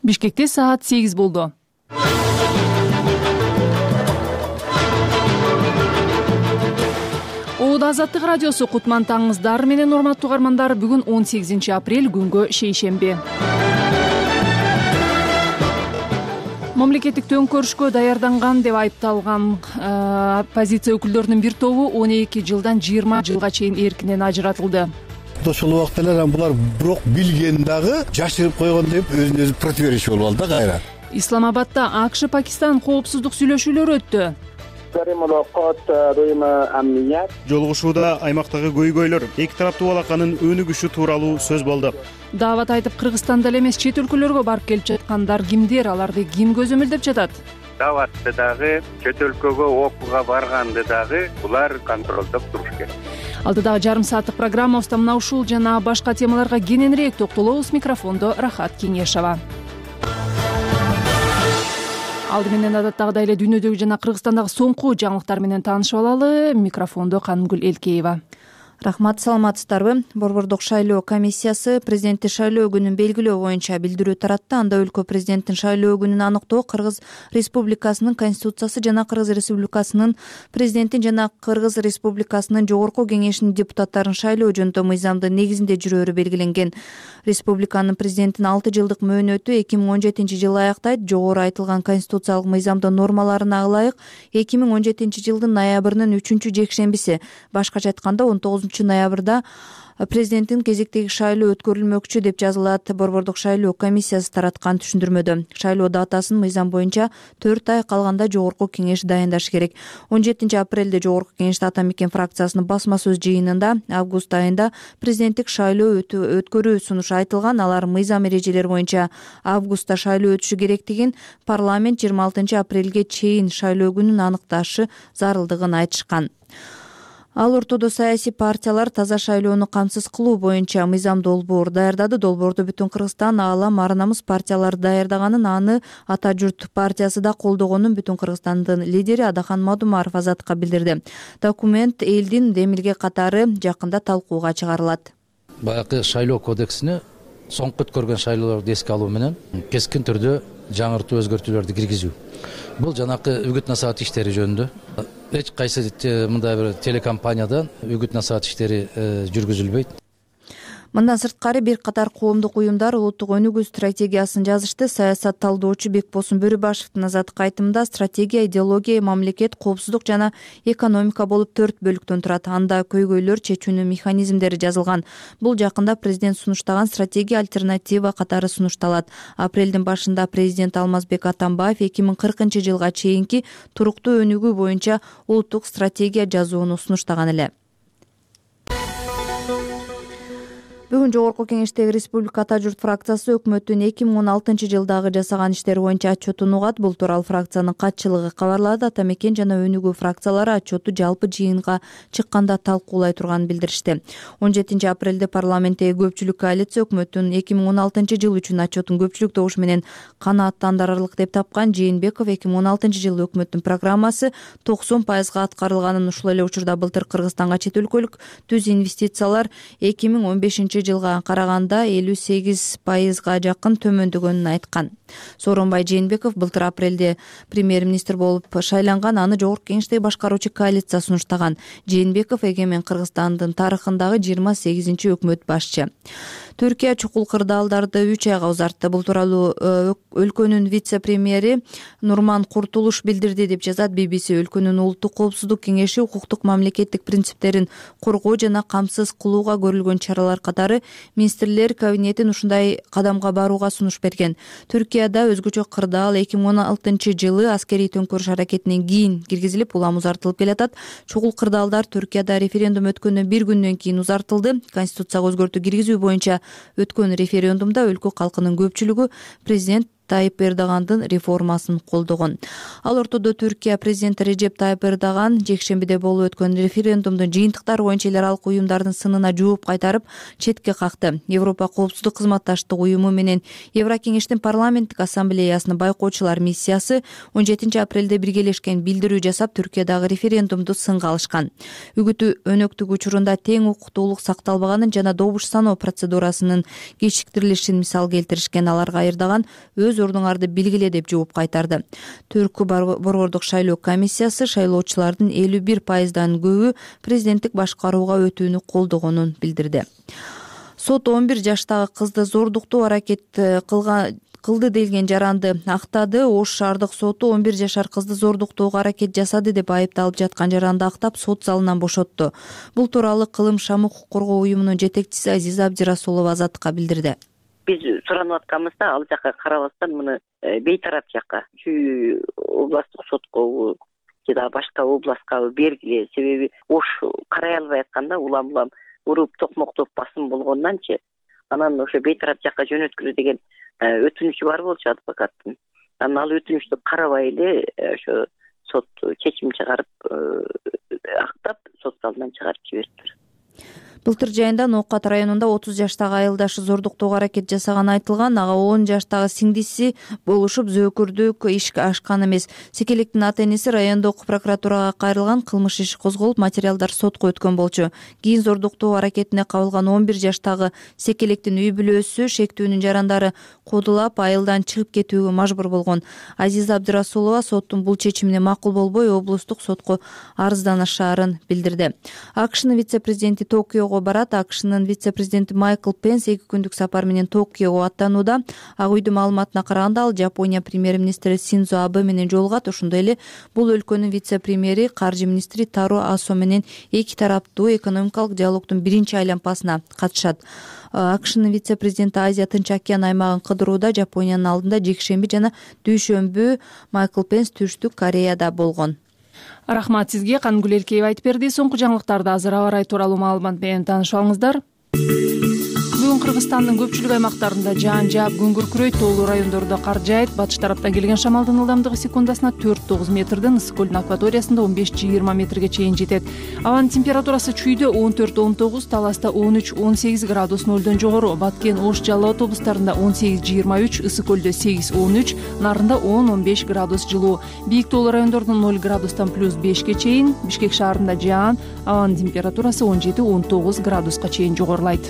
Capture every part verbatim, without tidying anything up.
Бишкекте саат сегиз болду. Оодо Азаттык радиосу кутман таңыңыздар менен урматтуу угармандар. Бүгүн он сегизинчи апрель, күнгө шейшемби. Мамлекеттик төңкөрүшкө даярданган деп айыпталган оппозиция өкүлдөрүнүн бир тобу он эки жылдан жыйырма жылга чейин эркинен ажыратылды. Ошол убакта эле булар бирок билген дагы жашырып койгон деп өзүн өзү противоречие болуп алды да кайра. Исламабадда АКШ Пакистан коопсуздук сүйлөшүүлөрү өттү. Жолугушууда аймактагы көйгөйлөр, эки тараптуу балаканын өнүгүшү тууралуу сөз болду. Даават айтып, Кыргызстанда эле эмес, чет өлкөлөргө барып келип жаткандар кимдер, аларды ким көзөмөлдөп жатат? Дааватты дагы, чет өлкөгө окууга барганды дагы булар контролдоп туруш керек. Алдыдагы жарым сааттык программабызда мына ушул жана башка темаларга кененирээк токтолобуз. Микрофондо Рахат Кеңешова. Алды менен адаттагыдай эле дүйнөдөгү жана Кыргызстандагы соңку жаңылыктар менен таанышып алалы. Микрофондо Канымгүл Элкеева. Рахмат, саламатсыздарбы? Борбордук шайлоо комиссиясы президенттик шайлоо күнүн белгилөө боюнча билдирүү таратты. Анда өлкө президенттин шайлоо күнүн аныктоо Кыргыз Республикасынын Конституциясы жана Кыргыз Республикасынын президентин жана Кыргыз Республикасынын Жогорку Кеңешинин депутаттарын шайлоо жөнүндө мыйзамдын негизинде жүрөөрү белгиленген. Республиканын президентин алты жылдык мөөнөтү эки миң он жетинчи жылы аяктайт. Жогору айтылган конституциялык мыйзамдын нормаларына ылайык эки миң он жетинчи жылдын ноябрынын үчүнчү жекшембиси, башкача айтканда он тогузунчу ноябрда президенттин кезектеги шайлоо өткөрүлмөкчү деп жазылат Борбордук шайлоо комиссиясы тараткан түшүндүрмөдө. Шайлоо датасын мыйзам боюнча төрт ай калганда Жогорку Кеңеш дайындашы керек. он жетинчи апрелде Жогорку Кеңеште Ата Мекен фракциясынын басма сөз жыйынында август айында президенттик шайлоо өткөрүү сунушу айтылган. Алар мыйзам эрежелери боюнча августта шайлоо өтүшү керектигин, парламент жыйырма алтынчы апрелге чейин шайлоо күнүн аныкташы зарылдыгын айтышкан. Ал ортодо саясий партиялар таза шайлоону камсыз кылуу боюнча мыйзам долбоор даярдады. Долбоорду Бүтүн Кыргызстан, Аалам, Ар намыс партиялары даярдаганын, аны Ата журт партиясы да колдогонун Бүтүн Кыргызстандын лидери Адахан Мадумаров Азаттыкка билдирди. Документ элдин демилге катары жакында талкууга чыгарылат. Баягы шайлоо кодексине соңку өткөргөн шайлоолорду эске алуу менен кескин түрдө жаңыртуу өзгөртүүлөрдү киргизүү. Бул жанакы үгүт насаат иштери жөнүндө эч кайсы мындай бир телекомпаниядан үгүт насаат иштери жүргүзүлбөйт. Мындан сырткары бир катар коомдук уюмдар улуттук өнүгүү стратегиясын жазышты. Саясат талдоочу Бекбосун Бөрүбашевдин азаттык айтымында стратегия, идеология, мамлекет, коопсуздук жана экономика болуп төрт бөлүктөн турат. Анда көйгөйлөр чечүүнүн механизмдери жазылган. Бул жакында президент сунуштаган стратегия альтернатива катары сунушталат. Апрелдин башында президент Алмазбек Атамбаев эки миң кыркынчы жылга чейинки туруктуу өнүгүү боюнча улуттук стратегия жазууну сунуштаган эле. Бүгүн Жогорку Кеңештеги Республика Ата журт фракциясы өкмөттүн эки миң он алтынчы жылдагы жасаган иштери боюнча отчетун угат. Бул тууралуу фракциянын катчылыгы кабарлады. Ата Мекен жана өнүгүү фракциялары отчетту жалпы жыйынга чыкканда талкуулай турганын билдиришти. он жетинчи апрелде парламенттеги көпчүлүк коалиция өкмөттүн эки миң он алтынчы жыл үчүн отчетун көпчүлүк добуш менен канааттандырарлык деп тапкан. Жээнбеков эки миң он алтынчы жылы өкмөттүн программасы токсон пайызга аткарылганын, ушул эле учурда былтыр Кыргызстанга чет өлкөлүк түз инвестициялар эки миң он бешинчи жылга караганда элүү сегиз пайызга жакын төмөндөгөнүн айткан. Сооронбай Жээнбеков былтыр апрелде премьер-министр болуп шайланган, аны Жогорку Кеңештеги башкаруучу коалиция сунуштаган. Жээнбеков эгемен Кыргызстандын тарыхындагы жыйырма сегизинчи өкмөт башчы. Түркия чукул кырдаалдарды үч айга узартты. Бул тууралуу өлкөнүн вице-премьери Нурман Куртулуш билдирди деп жазат би би си. Өлкөнүн улуттук коопсуздук кеңеши укуктук мамлекеттик принциптерин коргоо жана камсыз кылууга көрүлгөн чаралар катары министрлер кабинетин ушундай кадамга барууга сунуш берген. Түркияда өзгөчө кырдаал эки миң он алтынчы жылы аскерий төңкөрүш аракетинен кийин киргизилип, улам узартылып келатат. Чукул кырдаалдар Түркияда референдум өткөндөн бир күндөн кийин узартылды. Конституцияга өзгөртүү киргизүү боюнча өткөн референдумда өлкө калкынын көпчүлүгү президент Тайип Эрдогандын реформасын колдогон. Ал ортодо Түркия президенти Режеп Тайип Эрдоган жекшембиде болуп өткөн референдумдун жыйынтыктары боюнча эл аралык уюмдардын сынына жооп кайтарып четке какты. Европа коопсуздук кызматташтык уюму менен Еврокеңештин парламенттик ассамблеясынын байкоочулар миссиясы он жетинчи апрелде биргелешкен билдирүү жасап, Түркиядагы референдумду сынга алышкан. Үгүтү өнөктүк учурунда тең укуктуулук сакталбаганын жана добуш саноо процедурасынын кечиктирилишин мисал келтиришкен. Аларга Эрдоган өз ордуңарды белгиле деп жооп кайтарды. Түркү борбордук шайлоо комиссиясы шайлоочулардын элүү бир пайыздан көбү президенттик башкарууга өтүүнү колдогонун билдирди. Сот он бир жаштагы кызды зордуктоо аракет кылган кылды делген жаранды актады. Ош шаардык соту он бир жашар кызды зордуктоого аракет жасады деп айыпталып жаткан жаранды актап, сот залынан бошотту. Бул тууралуу Кылым Шам укук коргоо уюмунун жетекчиси Азиза Абдирасулова Азаттыкка билдирди. Биз суранып атканыбызда ал жакка карабастан муну бейтарап жакка Чүй областтык сотко жада башка областка бергиле. Себеби Ош карай албай атканда улам улам уруп токмоктоп басым болгондончу анан ошо бейтарап жакка жөнөткүлө деген өтүнүчү бар болчу адвокаттын. Анан ал өтүнүчтү карабай эле ошо сот чечим чыгарып актап, сот залынан чыгарып жиберди. Былтыр жайында Ноокат районунда отуз жаштагы айылдашы зордуктоого аракет жасаганы айтылган. Ага он жаштагы сиңдиси болушуп зөөкүрдүк ишке ашкан эмес. Секелектин ата-энеси райондук прокуратурага кайрылган, кылмыш иши козголуп, материалдар сотко өткөн болчу. Кийин зордуктоо аракетине кабылган он бир жаштагы Секелектин үй бүлөсү шектүүнүн жарандары кодулап, айылдан чыгып кетүүгө мажбур болгон. Азиза Абдирасулова соттун бул чечимине макул болбой, облустук сотко арызданышаарын билдирди. АКШнын вице-президенти Токиого барат. АКШнын вице-президенти Майкл Пенс эки күндүк сапар менен Токиого аттанууда. Ак үйдүн маалыматына караганда, ал Жапония премьер-министри Синдзо Абе менен жолугат. Ошондой эле бул өлкөнүн вице-премьери, каржы министри Таро Асо менен эки тараптуу экономикалык диалогдун биринчи айланпасына катышат. АКШнын вице-президенти Азия Тынч океан аймагын кыдырууда. Жапониянын алдында жекшемби жана дүйшөмбү Майкл Пенс Түштүк Кореяда болгон. Рахмат сизге. Кангүл Элкеева айтып берди. Соңку жаңылыктарды азыр аба ырайы тууралуу маалымат менен таанышып алыңыздар. Бүгүн Кыргызстандын көпчүлүк аймактарында жаан жаап, күн күркүрөйт, тоолуу райондордо кар жаайт. Батыш тараптан келген шамалдын ылдамдыгы секундасына төрт тогуз метрден, ысык көлдүн акваториясында он беш жыйырма метрге чейин жетет. Абанын температурасы Чүйдө он төрт он тогуз, Таласта он үч он сегиз градус нөлдөн жогору, Баткен, Ош, Жалал Абад облустарында он сегиз жыйырма үч, ысык көлдө сегиз он үч, Нарында он он беш градус жылуу. Бийик тоолуу райондордун ноль градустан плюс бешке чейин, Бишкек шаарында жаан, абанын температурасы он жети он тогуз градуска чейин жогорулайт.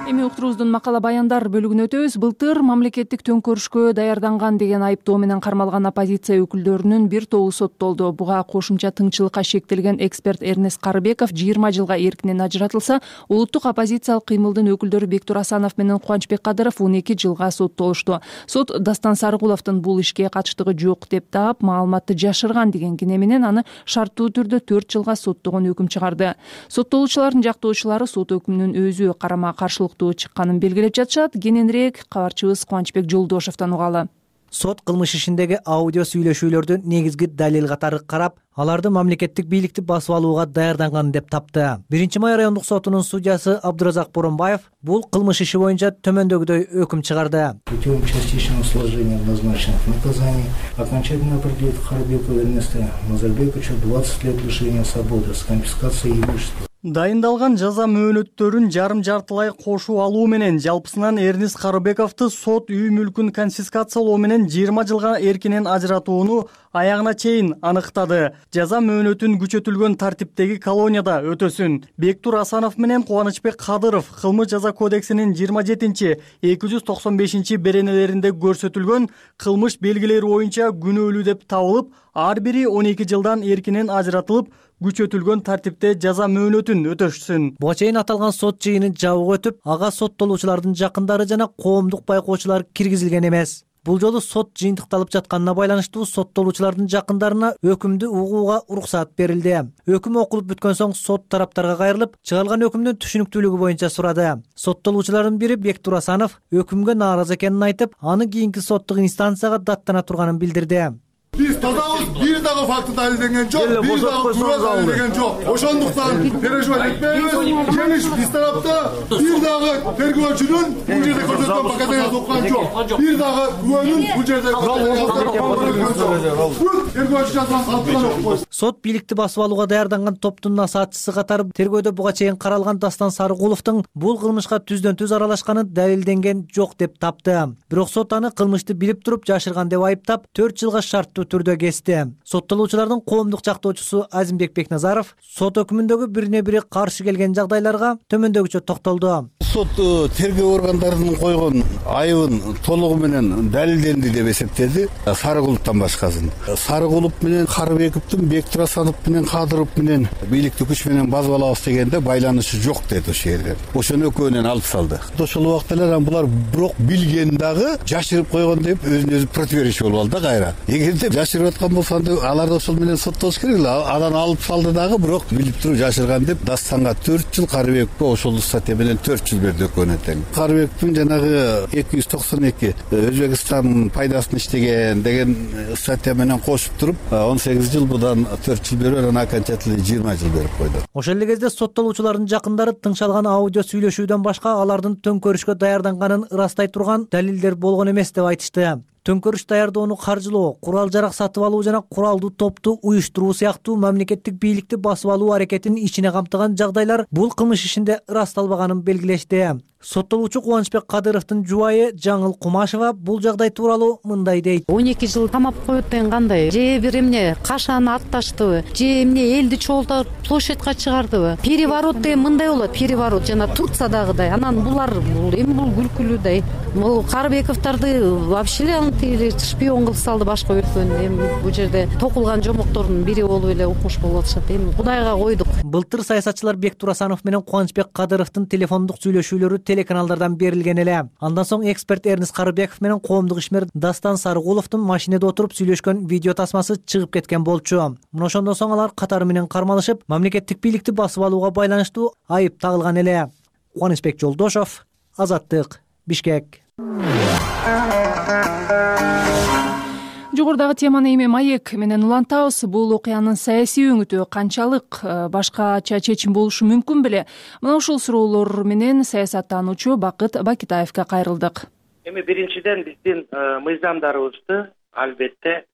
Эми уктуруубуздун макала баяндар бөлүгүнө өтөбүз. Былтыр мамлекеттик төңкөрүшкө даярданган деген айыптоо менен кармалган оппозиция өкүлдөрүнүн бир тобу соттолду. Буга кошумча тыңчылыкка шектелген эксперт Эрнест Карыбеков жыйырма жылга эркинен ажыратылса, улуттук оппозициялык кыймылдын өкүлдөрү Бектур Асанов менен Кубанычбек Кадыров он эки жылга соттолушту. Сот Дастан Сарыгуловдун бул ишке катыштыгы жок деп таап, маалыматты жашырган деген кине менен аны шарттуу түрдө төрт жылга соттогон өкүм чыгарды. Соттолуучулардын жактоочулары сот өкүмүнүн өзү карама каршылыктуу чыкканын белгилеп жатышат. Кененирээк кабарчыбыз Кубанычбек Жолдошовдон угалы. Сот кылмыш ишиндеги аудио сүйлөшүүлөрдү негизги далил катары карап, аларды мамлекеттик бийликти басып алууга даярданган деп тапты. биринчи май райондук сотунун судьясы Абдуразак Боронбаев бул кылмыш иши боюнча төмөндөгүдөй өкүм чыгарды. Путем частичного сложения назначенных наказаний окончательно определит Карыбекова Эрнеста Назарбековича двадцать лет лишения свободы с конфискацией имущества. Дайындалган жаза мөөнөттөрүн жарым-жартылай кошуу алуу менен жалпысынан Эрнест Карыбековду сот үй мүлкүн конфискациялоо менен жыйырма жылга эркинен ажыратууну аягына чейин аныктады. Жаза мөөнөтүн күчөтүлгөн тартиптеги колонияда өтөсүн. Бектур Асанов менен Кубанычбек Кадыров кылмыш жаза кодексинин жыйырма жетинчи эки жүз токсон бешинчи беренелеринде көрсөтүлгөн кылмыш белгилери боюнча күнөөлүү деп табылып, ар бири он эки жылдан эркинен ажыратылып, күчөтүлгөн тартипте жаза мөөнөтүн өтөшсүн. Буга чейин аталган сот жыйыны жабык өтүп, ага соттолуучулардын жакындары жана коомдук байкоочулар киргизилген эмес. Бул жолу сот жыйынтыкталып жатканына байланыштуу соттолуучулардын жакындарына өкүмдү угууга уруксат берилди. Өкүм окулуп бүткөн соң сот тараптарга кайрылып, чыгарылган өкүмдүн түшүнүктүүлүгү боюнча сурады. Соттолуучулардын бири Бектур Асанов өкүмгө нааразы экенин айтып, аны кийинки соттук инстанцияга даттана турганын билдирди. Биз тазабыз, бир дагы факты далилденген жок, бир дагы күбө далилденген жок. Ошондуктан переживать этпейбиз. Ишенич биз тарапта бир дагы тергөөчүнүн бул жерде көрсөткөн показаниясы окуган жок. Бир дагы күбөнүн бул жерде тергөөчү жазган калтырган окуйбуз. Сот бийликти басып алууга даярданган топтун насаатчысы катары тергөөдө буга чейин каралган Дастан Сарыгуловдун бул кылмышка түздөн түз аралашканы далилденген жок деп тапты. Бирок сот аны кылмышты билип туруп жашырган деп айыптап, төрт жылга шарттуу түрдө кести. Соттолуучулардын коомдук жактоочусу Азимбек Бекназаров сот өкүмүндөгү бирине бири каршы келген жагдайларга төмөндөгүчө токтолду. Сот тергөө органдарынын койгон айыбын толугу менен далилденди деп эсептеди. Сарыгуловдон башкасын. Сарыгулов менен Карыбековдун Бектурасанов менен Кадыров менен бийликти күч менен басып алабыз дегенде байланышы жок деди ошол жерде. Ошону экөөнөн алып салды. Ошол убакта эле булар бирок билген дагы жашырып койгон деп өзүнө өзү противоречие болуп алды да кайра. Эгерде жашырып аткан болсо аларды ошол менен соттош керек эле. Анан алып салды дагы бирок билип туруп жашырган деп Дастанга төрт жыл, Карыбековго ошол статья менен төрт жыл берди экөөнө тең. Карыбековдун жанагы эки жүз токсон эки Өзбекстандын пайдасын иштеген деген статья менен кошуп туруп он сегиз жыл, будан төрт жыл берип, анан окончательно жыйырма жыл берип койду. Ошол эле кезде соттолуучулардын жакындары тыңшалган аудио сүйлөшүүдөн башка алардын төңкөрүшкө даярданганын ырастай турган далилдер болгон эмес деп айтышты. Төңкөрүш даярдоону каржылоо, курал-жарак сатып алуу жана куралдуу топту уюштуруу сыяктуу мамлекеттик бийликти басып алуу аракетин ичине камтыган жагдайлар бул кылмыш ишинде ырасталбаганын белгилешти. Соттолуучу Кубанычбек Кадыровдун жубайы Жаңыл Кумашева бул жагдай тууралуу мындай дейт. он эки жыл камап коет деген кандай? Же бир эмне кашаны атташтыбы? Же эмне элди чогултуп площадька чыгардыбы? Переворот деген мындай болот, переворот жана Турциядагыдай. Анан булар бул эми бул күлкүлүүдай. Бул Карыбековдорду вообще эле шпион кылып салды башка өлкөнү. Эми бул жерде токулган жомоктордун бири болуп эле укмуш болуп атышат. Эми Кудайга койдук. Былтыр саясатчылар Бектурасанов менен Кубанычбек Кадыровдун телефондук сүйлөшүүлөрү телеканалдардан берилген эле. Андан соң эксперт Эрнис Карыбеков менен коомдук ишмер Дастан Сарыгуловдун машинеде отуруп сүйлөшкөн видео тасмасы чыгып кеткен болчу. Мына ошондон соң алар катары менен кармалышып, мамлекеттик бийликти басып алууга байланыштуу айып тагылган эле. Кубанычбек Жолдошов, Азаттык, Бишкек. Жогорудагы теманы эми маек менен улантабыз. Бул окуянын саясий өңүтү канчалык башкача чечим болушу мүмкүн беле? Мына ушул суроолор менен саясаттануучу Бакыт Бакитаевге кайрылдык. Эми биринчиден биздин мыйзамдарыбызды албетте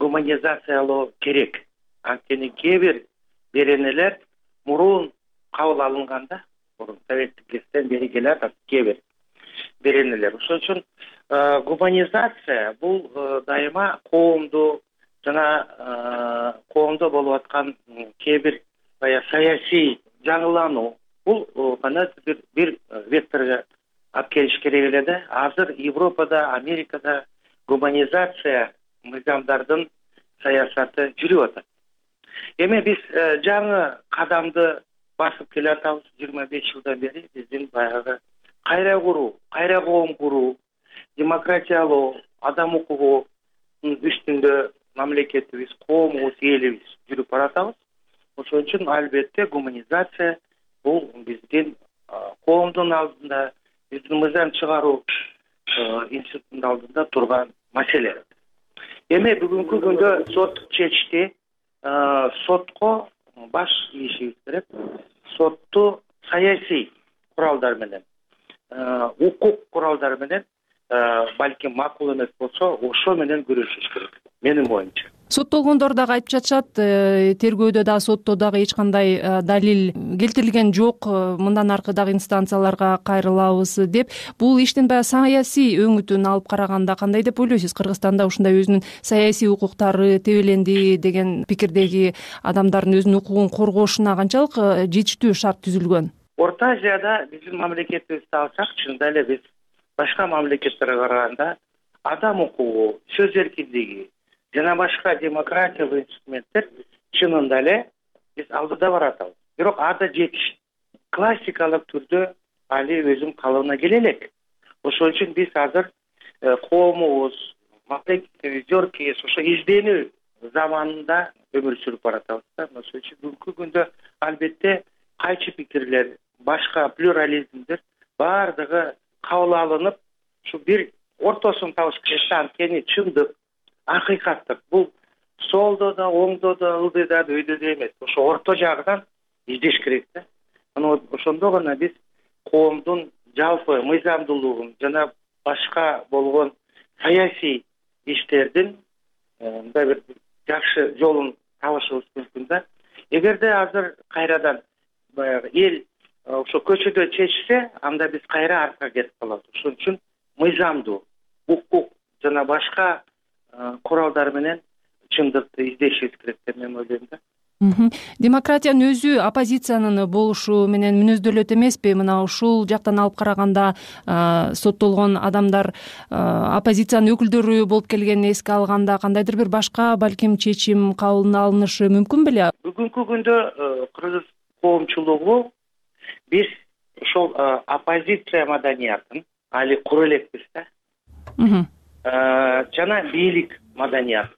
гуманизациялоо керек. Анткени кээ бир беренелер мурун кабыл алынганда, мурун советтик кезден бери келатат кээ бир беренелер. Ошон үчүн гуманизация бул дайыма коомду жана коомдо болуп аткан кээ бир саясий жаңылануу, бул гана бир бир векторго алып келиш керек эле да. Азыр Европада, Америкада гуманизация мыйзамдардын саясаты жүрүп атат. Эми биз жаңы кадамды басып келе атабыз. жыйырма беш жылдан бери биздин баягы кайра куруу, кайра коом куруу, демократиялоо, адам укугунун үстүндө мамлекетибиз, коомубуз, элибиз жүрүп баратабыз. Ошон үчүн албетте гуманизация бул биздин коомдун алдында, биздин мыйзам чыгаруу институтунун алдында турган маселе. Эми бүгүнкү күндө сот чечти. Сотко баш ийишибиз керек. Сотту саясий куралдар менен, укук куралдары менен, балким макул эмес болсо, ошо менен күрөшүш керек, менин оюмча. Соттолгондор дагы айтып жатышат, тергөөдө да, сотто дагы эч кандай далил келтирилген жок, мындан аркы дагы инстанцияларга кайрылабыз деп. Бул иштин баягы саясий өңүтүн алып караганда кандай деп ойлойсуз? Кыргызстанда ушундай өзүнүн саясий укуктары тебеленди деген пикирдеги адамдардын өзүнүн укугун коргошуна канчалык жетиштүү шарт түзүлгөн? Орто Азияда биздин мамлекетибизди алсак, чынында эле биз башка мамлекеттерге караганда адам укугу, сөз эркиндиги жана башка демократиялык инструменттер чынында эле биз алдыда баратабыз. Бирок ада жетиш классикалык түрдө али өзүнүн калыбына келе элек. Ошон үчүн биз азыр коомубуз, мамлекетибиз, жөркейиз ошо изденүү заманында өмүр сүрүп баратабыз. Ошон үчүн бүгүнкү күндө албетте кайчы пикирлер, башка плюрализмдер бардыгы кабыл алынып, ушу бир ортосун табыш керек. Анткени чындык, акыйкаттык бул солдо да, оңдо да, ылдый да, өйдө да эмес, ошо орто жагынан издеш керек да. Анан ошондо гана биз коомдун жалпы мыйзамдуулугун жана башка болгон саясий иштердин мындай бир жакшы жолун табышыбыз мүмкүн да. Эгерде азыр кайрадан баягы эл ошо көчөдө чечсе, анда биз кайра артка кетип калабыз. Ошон үчүн мыйзамдуу, укук жана башка куралдар менен чындыкты издешибиз керек деп мен ойлойм да. Демократиянын өзү оппозициянын болушу менен мүнөздөлөт эмеспи? Мына ушул жактан алып караганда соттолгон адамдар оппозициянын өкүлдөрү болуп келгенин эске алганда кандайдыр бир башка балким чечим кабыл алынышы мүмкүн беле? Бүгүнкү күндө кыргыз коомчулугу биз ошол оппозиция маданиятын али кура элекпиз да. Жана бийлик маданият.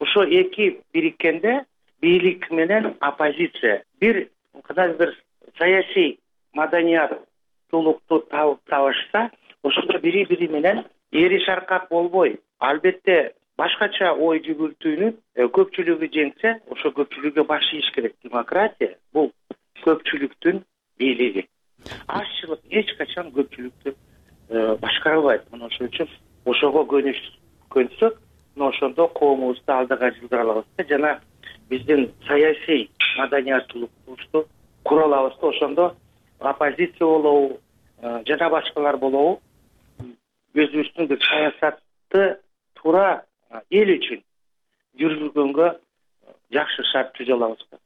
Ошо эки бириккенде бийлик менен оппозиция бир кандайдыр бир саясий маданияттуулукту табып табышса, ошондо бири бири менен эри шаркак болбой, албетте башкача ой жүгүртүүнү көпчүлүгү жеңсе, ошо көпчүлүккө баш ийиш керек. Демократия бул көпчүлүктүн бийлиги. Азчылык эч качан көпчүлүктү башкара албайт. Мына ошон үчүн ошого көнсөк, ошондо коомубузду алдыга жылдыра алабыз да, жана биздин саясий маданияттуулуктубузду кура алабыз да. Ошондо оппозиция болобу жана башкалар болобу өзүбүздүн бир саясатты туура эл үчүн жүргүзгөнгө жакшы шарт түзө алабыз да.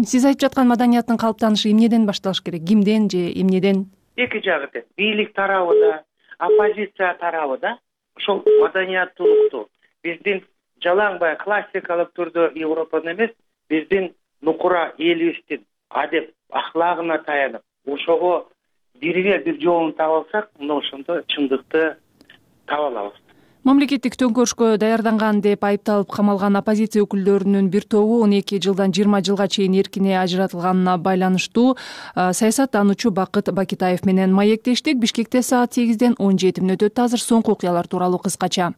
Сиз айтып жаткан маданияттын калыптанышы эмнеден башталыш керек? Кимден же эмнеден? Эки жагы тең. Бийлик тарабы да, оппозиция тарабы да ошол маданияттуулукту биздин жалаң баягы классикалык түрдө Европаны эмес, биздин нукура элибиздин адеп ахлагына таянып, ошого бирге бир жолун таба алсак, мына ошондо чындыкты таба алабыз. Мамлекеттик төңкөрүшкө даярданган деп айыпталып камалган оппозиция өкүлдөрүнүн бир тобу он эки жылдан жыйырма жылга чейин эркине ажыратылганына байланыштуу саясаттануучу Бакыт Бакитаев менен маектештик. Бишкекте саат сегизден он жети мүнөт өттү. Азыр соңку окуялар тууралуу кыскача.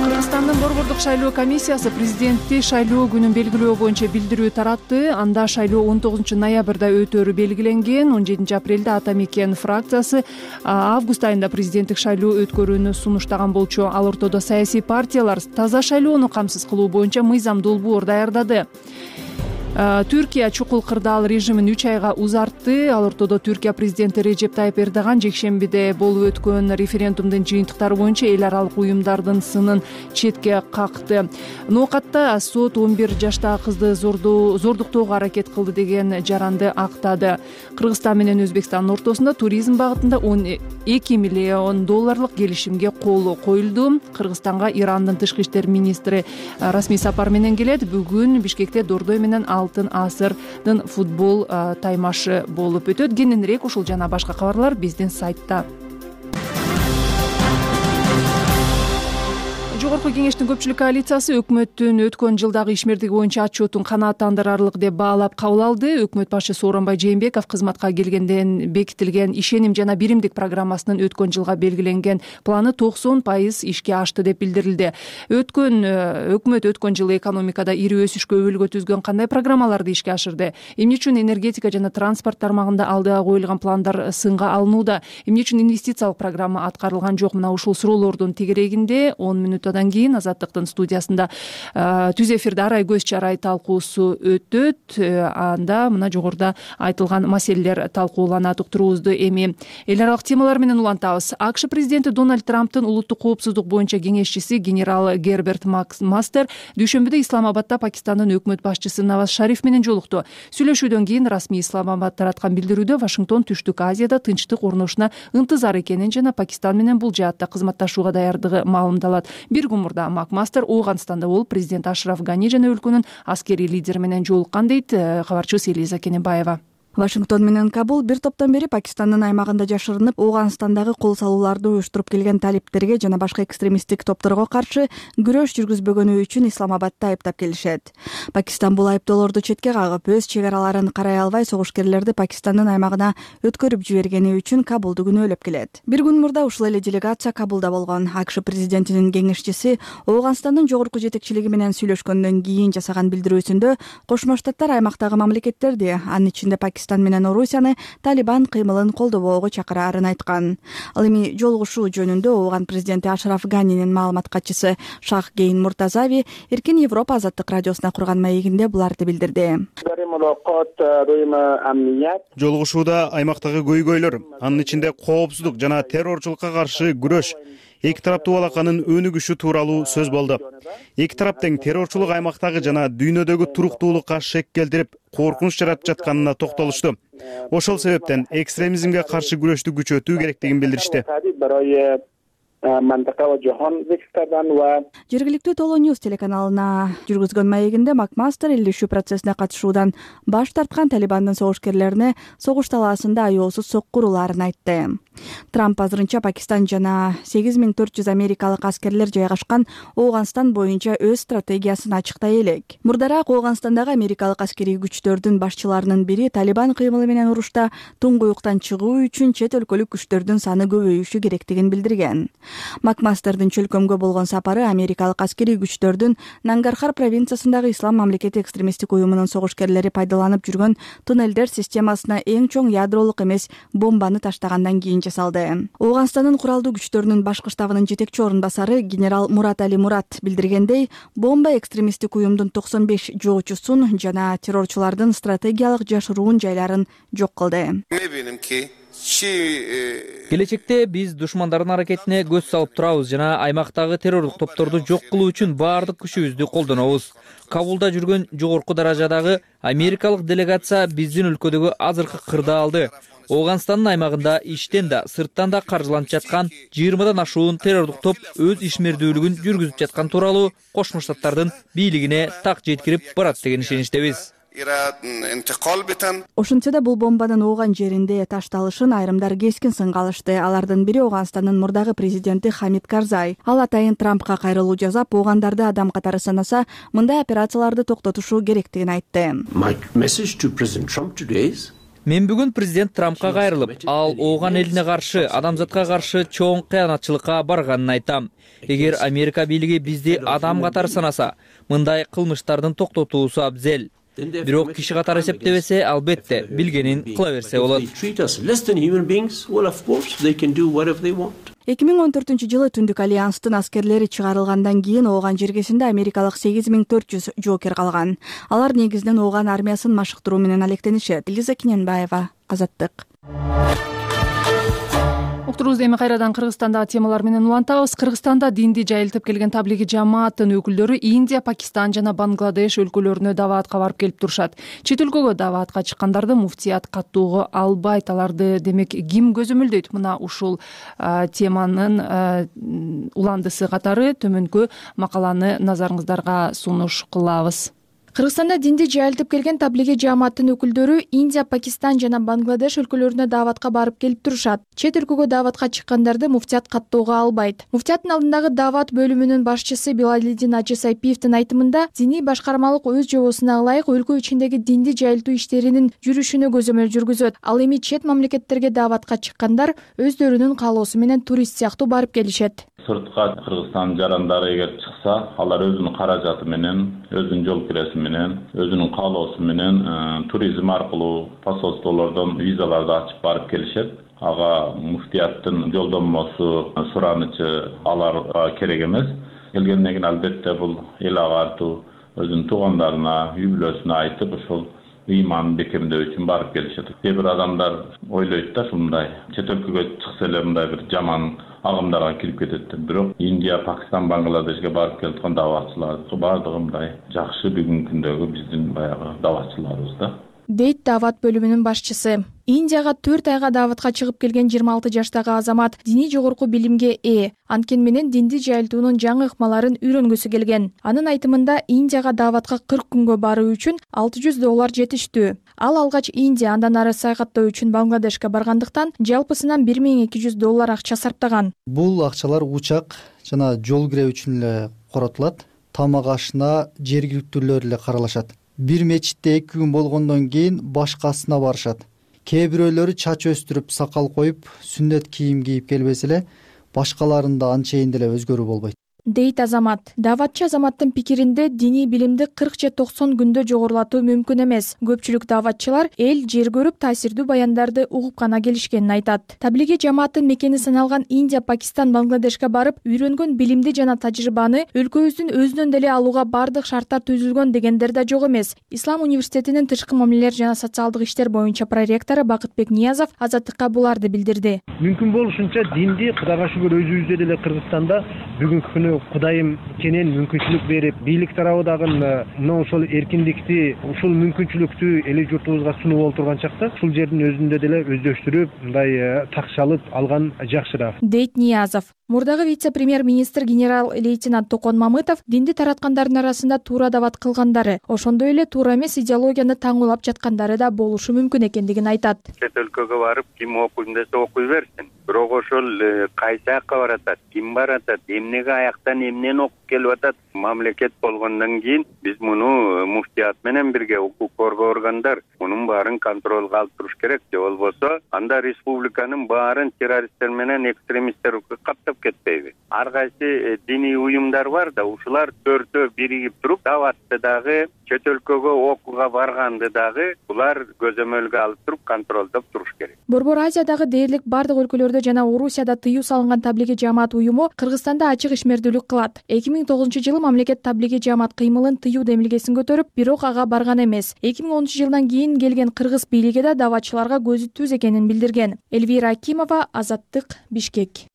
Кыргызстандын Борбордук шайлоо комиссиясы президентти шайлоо күнүн белгилөө боюнча билдирүү таратты. Анда шайлоо он тогузунчу ноябрда өтөөрү белгиленген. он жетинчи апрелде Ата Мекен фракциясы август айында президенттик шайлоо өткөрүүнү сунуштаган болчу. Ал ортодо саясий партиялар таза шайлоону камсыз кылуу боюнча мыйзам долбоор даярдады. Түркия чукул кырдаал режимин үч айга узартты. Ал ортодо Түркия президенти Режеп Тайып Эрдоган жекшембиде болуп өткөн референдумдун жыйынтыктары боюнча эл аралык уюмдардын сынын четке какты. Ноокатта сот он бир жаштагы кызды зордуктоого аракет кылды деген жаранды актады. Кыргызстан менен Өзбекстандын ортосунда туризм багытында он эки миллион долларлык келишимге кол коюлду. Кыргызстанга Ирандын тышкы иштер министри расмий сапар менен келет. Бүгүн Бишкекте Дордой менен Алтын асырдын футбол таймашы болуп өтөт. Кененирээк ушул жана башка кабарлар биздин сайтта. Жогорку кеңештин көпчүлүк коалициясы өкмөттүн өткөн жылдагы ишмердиги боюнча отчетун канааттандырарлык деп баалап кабыл алды. Өкмөт башчы Сооронбай Жээнбеков кызматка келгенден бекитилген ишеним жана биримдик программасынын өткөн жылга белгиленген планы токсон пайыз ишке ашты деп билдирилди. Өткөн өкмөт өткөн жылы экономикада ири өсүшкө өбөлгө түзгөн кандай программаларды ишке ашырды? Эмне үчүн энергетика жана транспорт тармагында алдыга коюлган пландар сынга алынууда? Эмне үчүн инвестициялык программа аткарылган жок? Мына ушул суроолордун тегерегинде он мүнөт одан кийин Азаттыктын студиясында түз эфирде арай көз чарай талкуусу өтөт. Анда мына жогоруда айтылган маселелер талкууланат. Уктуруубузду эми эл аралык темалар менен улантабыз. АКШ президенти Дональд Трамптын улуттук коопсуздук боюнча кеңешчиси генерал Герберт Мастер дүйшөмбүдө Исламабадда Пакистандын өкмөт башчысы Наваз Шариф менен жолукту. Сүйлөшүүдөн кийин расмий Исламабад тараткан билдирүүдө Вашингтон Түштүк Азияда тынчтык орношуна ынтызар экенин жана Пакистан менен бул жаатта кызматташууга даярдыгы маалымдалат. Бир мурда Макмастер Ооганстанда болуп президент Ашраф Гани жана өлкөнүн аскерий лидери менен жолуккан дейт кабарчыбыз Элиза Кененбаева. Вашингтон менен Кабул бир топтон бери Пакистандын аймагында жашырынып, Ооганстандагы кол салууларды уюштуруп келген талиптерге жана башка экстремисттик топторго каршы күрөш жүргүзбөгөнү үчүн Исламабадты айыптап келишет. Пакистан бул айыптоолорду четке кагып, өз чек араларын карай албай согушкерлерди Пакистандын аймагына өткөрүп жибергени үчүн Кабулду күнөөлөп келет. Бир күн мурда ушул эле делегация Кабулда болгон. АКШ президентинин кеңешчиси Ооганстандын жогорку жетекчилиги менен сүйлөшкөндөн кийин жасаган билдирүүсүндө Кошмо Штаттар аймактагы мамлекеттерди, анын ичинде Пакистан менен Орусияны Талибан кыймылын колдобоого чакыраарын айткан. Ал эми жолугушуу жөнүндө Ооган президенти Ашраф Ганинин маалымат катчысы Шах Гейн Муртазави Эркин Европа азаттык радиосуна курган маегинде буларды билдирди. Жолугушууда аймактагы көйгөйлөр, анын ичинде коопсуздук жана террорчулукка каршы күрөш, эки тараптуу балаканын өнүгүшү тууралуу сөз болду. Эки тарап тең террорчулук аймактагы жана дүйнөдөгү туруктуулукка шек келтирип, коркунуч жаратып жатканына токтолушту. Ошол себептен экстремизмге каршы күрөштү күчөтүү керектигин билдиришти. Жергиликтүү Толо Ньюс телеканалына жүргүзгөн маегинде Макмастер элдешүү процессине катышуудан баш тарткан Талибандын согушкерлерине согуш талаасында аеосуз сокку урууларын айтты. Трамп азырынча Пакистан жана сегиз миң төрт жүз америкалык аскерлер жайгашкан Ооганстан боюнча өз стратегиясын ачыктай элек. Мурдараак Ооганстандагы америкалык аскерий күчтөрдүн башчыларынын бири Талибан кыймылы менен урушта туңгуюктан чыгуу үчүн чет өлкөлүк күчтөрдүн саны көбөйүшү керектигин билдирген. Макмастердин чөлкөмгө болгон сапары америкалык аскерий күчтөрдүн Нангархар провинциясындагы Ислам мамлекети экстремисттик уюмунун согушкерлери пайдаланып жүргөн туннелдер системасына эң чоң ядролук эмес бомбаны таштагандан кийин жасалды. Ооганстандын куралдуу күчтөрүнүн башкы штабынын жетекчи орун басары генерал Мурат Али Мурат билдиргендей, бомба экстремисттик уюмдун токсон беш жоочусун жана террорчулардын стратегиялык жашыруун жайларын жок кылды. Келечекте биз душмандардын аракетине көз салып турабыз жана аймактагы террорлук топторду жок кылуу үчүн баардык күчүбүздү колдонобуз. Кабулда жүргөн жогорку даражадагы америкалык делегация биздин өлкөдөгү азыркы кырдаалды, Ооганстандын аймагында иштен да, сырттан да каржыланып жаткан жыйырмадан ашуун террорлук топ өз ишмердүүлүгүн жүргүзүп жаткан тууралуу Кошмо Штаттардын бийлигине так жеткирип барат деген ишеничтебиз. Ошентсе да бул бомбанын ооган жеринде ташталышын айрымдар кескин сынга алышты. Алардын бири Ооганстандын мурдагы президенти Хамид Карзай. Ал атайын Трампка кайрылуу жасап, оогандарды адам катары санаса, мындай операцияларды токтотушу керектигин айтты. Мен бүгүн президент Трампка кайрылып, ал ооган элине каршы, адамзатка каршы чоң кыянатчылыкка барганын айтам. Эгер Америка бийлиги бизди адам катары санаса, мындай кылмыштардын токтотуусу абзел. Бирок киши катары эсептебесе, албетте билгенин кыла берсе болот. эки миң он төртүнчү жылы Түндүк альянстын аскерлери чыгарылгандан кийин Ооган жергесинде америкалык сегиз миң төрт жүз жоокер калган. Алар негизинен Ооган армиясын машыктыруу менен алектенишет. Лиза Киненбаева, Азаттык. Уктурубузду эми кайрадан Кыргызстандагы темалар менен улантабыз. Кыргызстанда динди жайылтып келген таблиги жамааттын өкүлдөрү Индия, Пакистан жана Бангладеш өлкөлөрүнө даваатка барып келип турушат. Чет өлкөгө даваатка чыккандарды муфтият каттоого албайт. Аларды демек ким көзөмөлдөйт? Мына ушул теманын уландысы катары төмөнкү макаланы назарыңыздарга сунуш кылабыз. Кыргызстанда динди жайылтып келген таблиги жааматтын өкүлдөрү Индия, Пакистан жана Бангладеш өлкөлөрүнө даваатка барып келип турушат. Чет өлкөгө даваатка чыккандарды муфтият каттоого албайт. Муфтияттын алдындагы даваат бөлүмүнүн башчысы Билалидин Ажы Сайпиевдин айтымында, диний башкармалык өз жобосуна ылайык өлкө ичиндеги динди жайылтуу иштеринин жүрүшүнө көзөмөл жүргүзөт. Ал эми чет мамлекеттерге даваатка чыккандар өздөрүнүн каалоосу менен турист сыяктуу барып келишет. Сыртка Кыргызстан жарандары эгер чыкса, алар өзүнүн каражаты менен, өзүнүн жол киреси менен, өзүнүн каалоосу менен туризм аркылуу посольстволордон визаларды ачып барып келишет. Ага муфтияттын жолдомосу, суранычы аларга керек эмес. Келгенден кийин албетте бул эл агартуу, өзүнүн туугандарына, үй бүлөсүнө айтып, ошол ыйманын бекемдөө үчүн барып келишет. Кээ бир адамдар ойлойт да ушундай чет өлкөгө чыкса эле мындай бир жаман агымдарга кирип кетет деп. Бирок Индия, Пакистан, Бангладешке барып келип аткан даваатчылар баардыгы мындай жакшы бүгүнкү күндөгү биздин баягы даваатчыларыбыз да. дейт даават бөлүмүнүн башчысы. Индияга төрт айга дааватка чыгып келген жыйырма алты жаштагы азамат диний жогорку билимге ээ, анткени менен динди жайылтуунун жаңы ыкмаларын үйрөнгүсү келген. Анын айтымында Индияга дааватка кырк күнгө баруу үчүн алты жүз доллар жетиштүү. Ал алгач Индия андан ары саякаттоо үчүн Бангладешке баргандыктан жалпысынан бир миң эки жүз доллар акча сарптаган. Бул акчалар учак жана жол кирүү үчүн эле коротулат. Тамак ашына жергиликтүүлөр эле каралашат. Бир мечитте эки күн болгондон кийин башкасына барышат. Кээ бирөөлөрү чач өстүрүп, сакал коюп, сүннөт кийим кийип келбесе эле башкаларында анчейин деле өзгөрүү болбойт, дейт азамат. Дааватчы азаматтын пикиринде диний билимди кырк же токсон күндө жогорулатуу мүмкүн эмес. Көпчүлүк дааватчылар эл жер көрүп таасирдүү баяндарды угуп гана келишкенин айтат. Таблиги жамааттын мекени саналган Индия, Пакистан, Бангладешке барып, үйрөнгөн билимди жана тажрыйбаны өлкөбүздүн өзүнөн деле алууга бардык шарттар түзүлгөн дегендер да жок эмес. Ислам университетинин тышкы мамилелер жана социалдык иштер боюнча проректору Бакытбек Ниязов Азаттыкка буларды билдирди. Мүмкүн болушунча динди Кудайга шүгүр өзүбүздө деле Кыргызстанда бүгүнкү күнү Кудайым кенен мүмкүнчүлүк берип, бийлик тарабы мына ошол эркиндикти, ушул мүмкүнчүлүктү эли журтубузга сунуп олтурган чакта ушул жердин өзүндө деле өздөштүрүп, мындай такшалып алган жакшыраак, дейт Ниязов. Мурдагы вице-премьер-министр генерал-лейтенант Токон Мамытов динди тараткандардын арасында туура даават кылгандары, ошондой эле туура эмес идеологияны таңуулап жаткандары да болушу мүмкүн экендигин айтат. Чет өлкөгө барып, ким окуйм десе окуй берсин. Бирок ошол кайсы жакка баратат, ким баратат, эмнеге аяктан эмнени окуп келип атат, мамлекет болгондон кийин биз муну муфтият менен бирге укук коргоо органдар мунун баарын контролго алып туруш керек. Же болбосо анда республиканын баарын террористтер менен экстремисттер каптап кетпейби? Ар кайсы диний уюмдар бар да, ушулар төртөө биригип туруп дааватты дагы, чет өлкөгө окууга барганды дагы булар көзөмөлгө алып туруп контролдоп туруш керек. Борбор Азиядагы дээрлик бардык өлкөлөрдө жана Орусияда тыюу салынган таблиги жаамат уюму Кыргызстанда ачык ишмердүүлүк кылат. эки миң тогузунчу жылы мамлекет таблиги жаамат кыймылын тыюу демилгесин көтөрүп, бирок ага барган эмес. эки миң онунчу жылдан кийин келген кыргыз бийлиги да дааватчыларга көзү түз экенин билдирген. Элвира Акимова, Азаттык, Бишкек.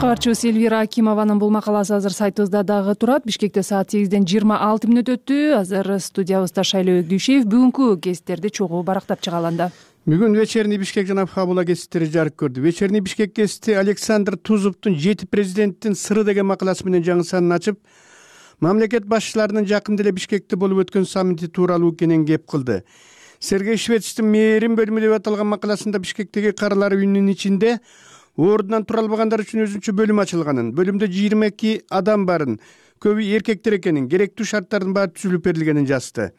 Кабарчыбыз Элвира Акимованын бул макаласы азыр сайтыбызда дагы турат. Бишкекте саат сегизден жыйырма алты мүнөт өттү. Азыр студиябызда Шайлоо Өгдүшев бүгүнкү кесиптерди чогуу барактап чыгаланда. Бүгүн вечерний Бишкек жана Фабула кесиптери жарык көрдү. Вечерний Бишкек кесипти Александр Тузовдун жети президенттин сыры деген макаласы менен жаңы санын ачып, мамлекет башчыларынын жакында эле Бишкекте болуп өткөн саммити тууралуу кенен кеп кылды. Сергей Швецтин мээрим бөлүмү деп аталган макаласында Бишкектеги карылар үйүнүнүн ичинде ордунан тура албагандар үчүн өзүнчө бөлүм ачылганын, бөлүмдө жыйырма эки адам барын, көбү эркектер экенин, керектүү шарттардын баары түзүлүп берилгенин жазды.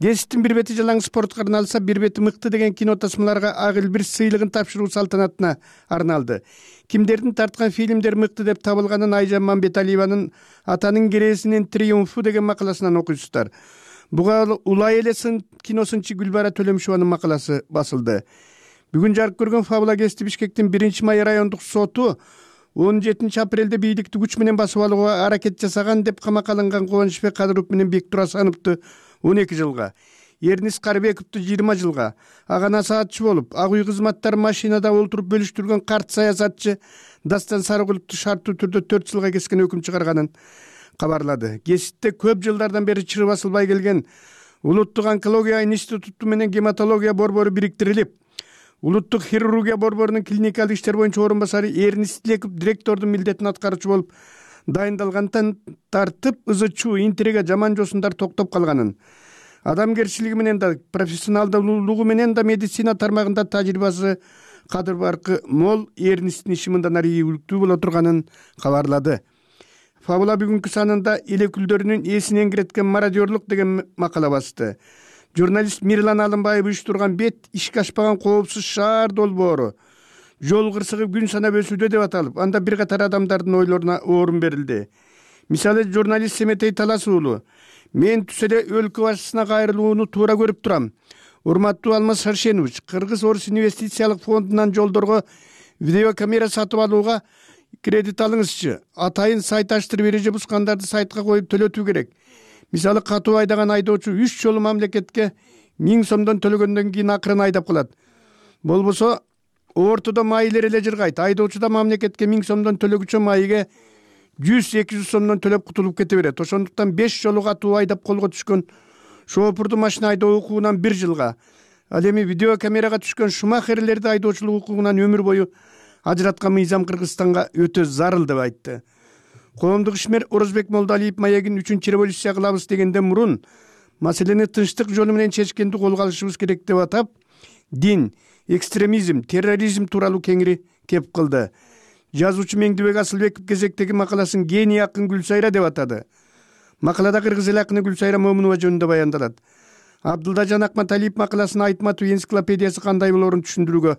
Кесиптин бир бети жалаң спортко арналса, бир бети мыкты деген кино тасмаларга ак элбир сыйлыгын тапшыруу салтанатына арналды. Кимдердин тарткан фильмдер мыкты деп табылганын Айжан Мамбеталиеванын Атанын кересинин триумфу деген макаласынан окуйсуздар. Буга Улай эле сын киносынчы Гүлбара Төлөмшованын макаласы басылды. Бүгүн жарык көргөн Фабула кесипти Бишкектин биринчи май райондук соту он жетинчи апрелде бийликти күч менен басып алууга аракет жасаган деп камакка алынган Кубанычбек Кадыров менен Бектур Асановду он эки жылга, Эрнис Карыбековду жыйырма жылга, ага насаатчы болуп, ак үй кызматтары машинада олтуруп бөлүштүргөн карт саясатчы Дастан Сарыгуловду шарттуу түрдө төрт жылга кескен өкүм чыгарганын кабарлады. Кесипте көп жылдардан бери чыры басылбай келген Улуттук онкология институту менен гематология борбору бириктирилип, Улуттук хирургия борборунун клиникалык иштер боюнча орун басары Эрнис Тилеков директордун милдетин аткаруучу болуп дайындалгандан тартып ызычуу, интрига, жаман жосундар токтоп калганын, адамгерчилиги менен да, профессионалдуулугу менен да медицина тармагында тажрыйбасы кадыр баркы мол Эрнистин иши мындан ары ийгиликтүү боло турганын кабарлады. Фабула бүгүнкү санында эл өкүлдөрүнүн эсинен киреткен мародерлук деген макала басты. Журналист Мирлан Алымбаев уюштурган бет ишке ашпаган коопсуз шаар долбоору жол кырсыгы күн санап өсүүдө деп аталып, анда бир катар адамдардын ойлоруна орун берилди. Мисалы, журналист Семетей Талас уулу: "Мен түз эле өлкө башчысына кайрылууну туура көрүп турам. Урматтуу Алмаз Шаршенович, Кыргыз Орус инвестициялык фондунан жолдорго видеокамера сатып алууга кредит алыңызчы. Атайын сайт аштырып эреже бускандарды сайтка коюп төлөтүү керек. Мисалы, катуу айдаган айдоочу үч жолу мамлекетке миң сомдон төлөгөндөн кийин акырын айдап калат. Болбосо ортодо майылер эле жыргайт. Айдоочу да мамлекетке миң сомдон төлөгүчө майыга жүз эки жүз сомдон төлөп кутулуп кете берет. Ошондуктан беш жолу катуу айдап колго түшкөн шоопурду машина айдоо укугунан бир жылга, ал эми видеокамерага түшкөн шумахерлерди айдоочулук укугунан өмүр бою ажыраткан мыйзам Кыргызстанга өтө зарыл деп айтты. Коомдук ишмер Орозбек Молдалиев маегин үчүнчү революция кылабыз дегенден мурун маселени тынчтык жолу менен чечкенди колго алышыбыз керек деп атап, дин, экстремизм, терроризм тууралуу кеңири кеп кылды. Жазуучу Меңдибек Асылбеков кезектеги макаласын гений акын Гүлсайра деп атады. Макалада кыргыз эл акыны Гүлсайра Момунова жөнүндө баяндалат. Абдылдажан Акматалиев макаласын айтматуу энциклопедиясы кандай болоорун түшүндүрүүгө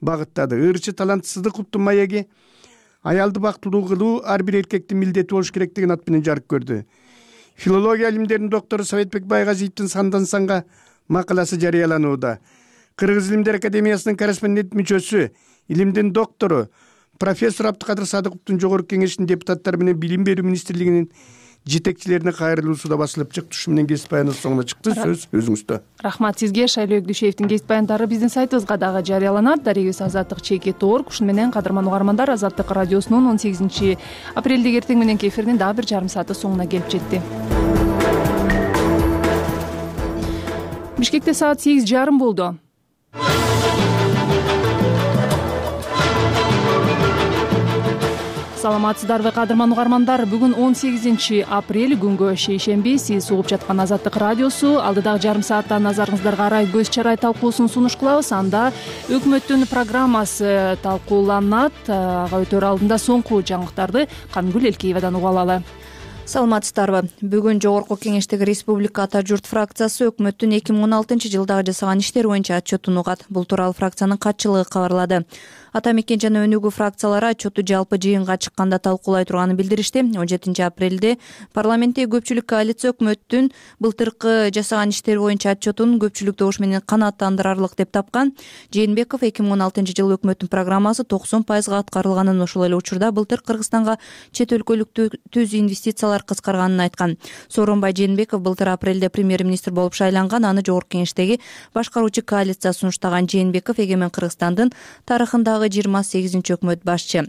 багыттады. Ырчы талант Сыдыковдун маеги аялды бактылуу кылуу ар бир эркектин милдети болуш керек деген ат менен жарык көрдү. Филология илимдеринин доктору Советбек Байгазиевдин Сандан санга макаласы жарыяланууда. Кыргыз илимдер академиясынын корреспондент мүчөсү, илимдин доктору профессор Абдыкадыр Садыковдун жогорку кеңештин депутаттары менен Билим берүү министрлигинин жетекчилерине кайрылуусу да басылып чыкты. Ушу менен кесип баяндоо соңуна чыкты. Сөз өзүңүздө. Рахмат сизге. Шайлоо Өгдүшевдин кесип баяндары биздин сайтыбызга дагы жарыяланат. Дарегибиз Азаттык чекит точка орг. Ушуну менен кадырман угармандар, Азаттык радиосунун он сегизинчи апрелдеги эртең мененки эфиринин дагы бир жарым сааты соңуна келип жетти. Бишкекте саат сегиз жарым болду. Саламатсыздарбы кадырман угармандар. Бүгүн он сегизинчи апрель күнгө шейшемби. Сиз угуп жаткан Азаттык радиосу. Алдыдагы жарым саатта назарыңыздарга арай көз чарай талкуусун сунуш кылабыз. Анда өкмөттүн программасы талкууланат. Ага өтөр алдында соңку жаңылыктарды Кангүл Элкеевадан угуп алалы. Саламатсыздарбы. Бүгүн Жогорку Кеңештеги Республика Ата журт фракциясы өкмөттүн эки миң он алтынчы жылдагы жасаган иштери боюнча отчетун угат. Бул тууралуу фракциянын катчылыгы кабарлады. Ата мекен жана Өнүгүү фракциялары отчетту жалпы жыйынга чыкканда талкуулай турганын билдиришти. он жетинчи апрелде парламенттеги көпчүлүк коалиция өкмөттүн былтыркы жасаган иштери боюнча отчетун көпчүлүк добуш менен канааттандырарлык деп тапкан. Жээнбеков эки миң он алтынчы жылы өкмөттүн программасы токсон пайызга аткарылганын, ошол эле учурда былтыр Кыргызстанга чет өлкөлүк түз инвестициялар кыскарганын айткан. Сооронбай Жээнбеков былтыр апрелде премьер-министр болуп шайланган. Аны Жогорку Кеңештеги башкаруучу коалиция сунуштаган. Жээнбеков эгемен Кыргызстандын тарыхындагы жыйырма сегизинчи өкмөт башчы.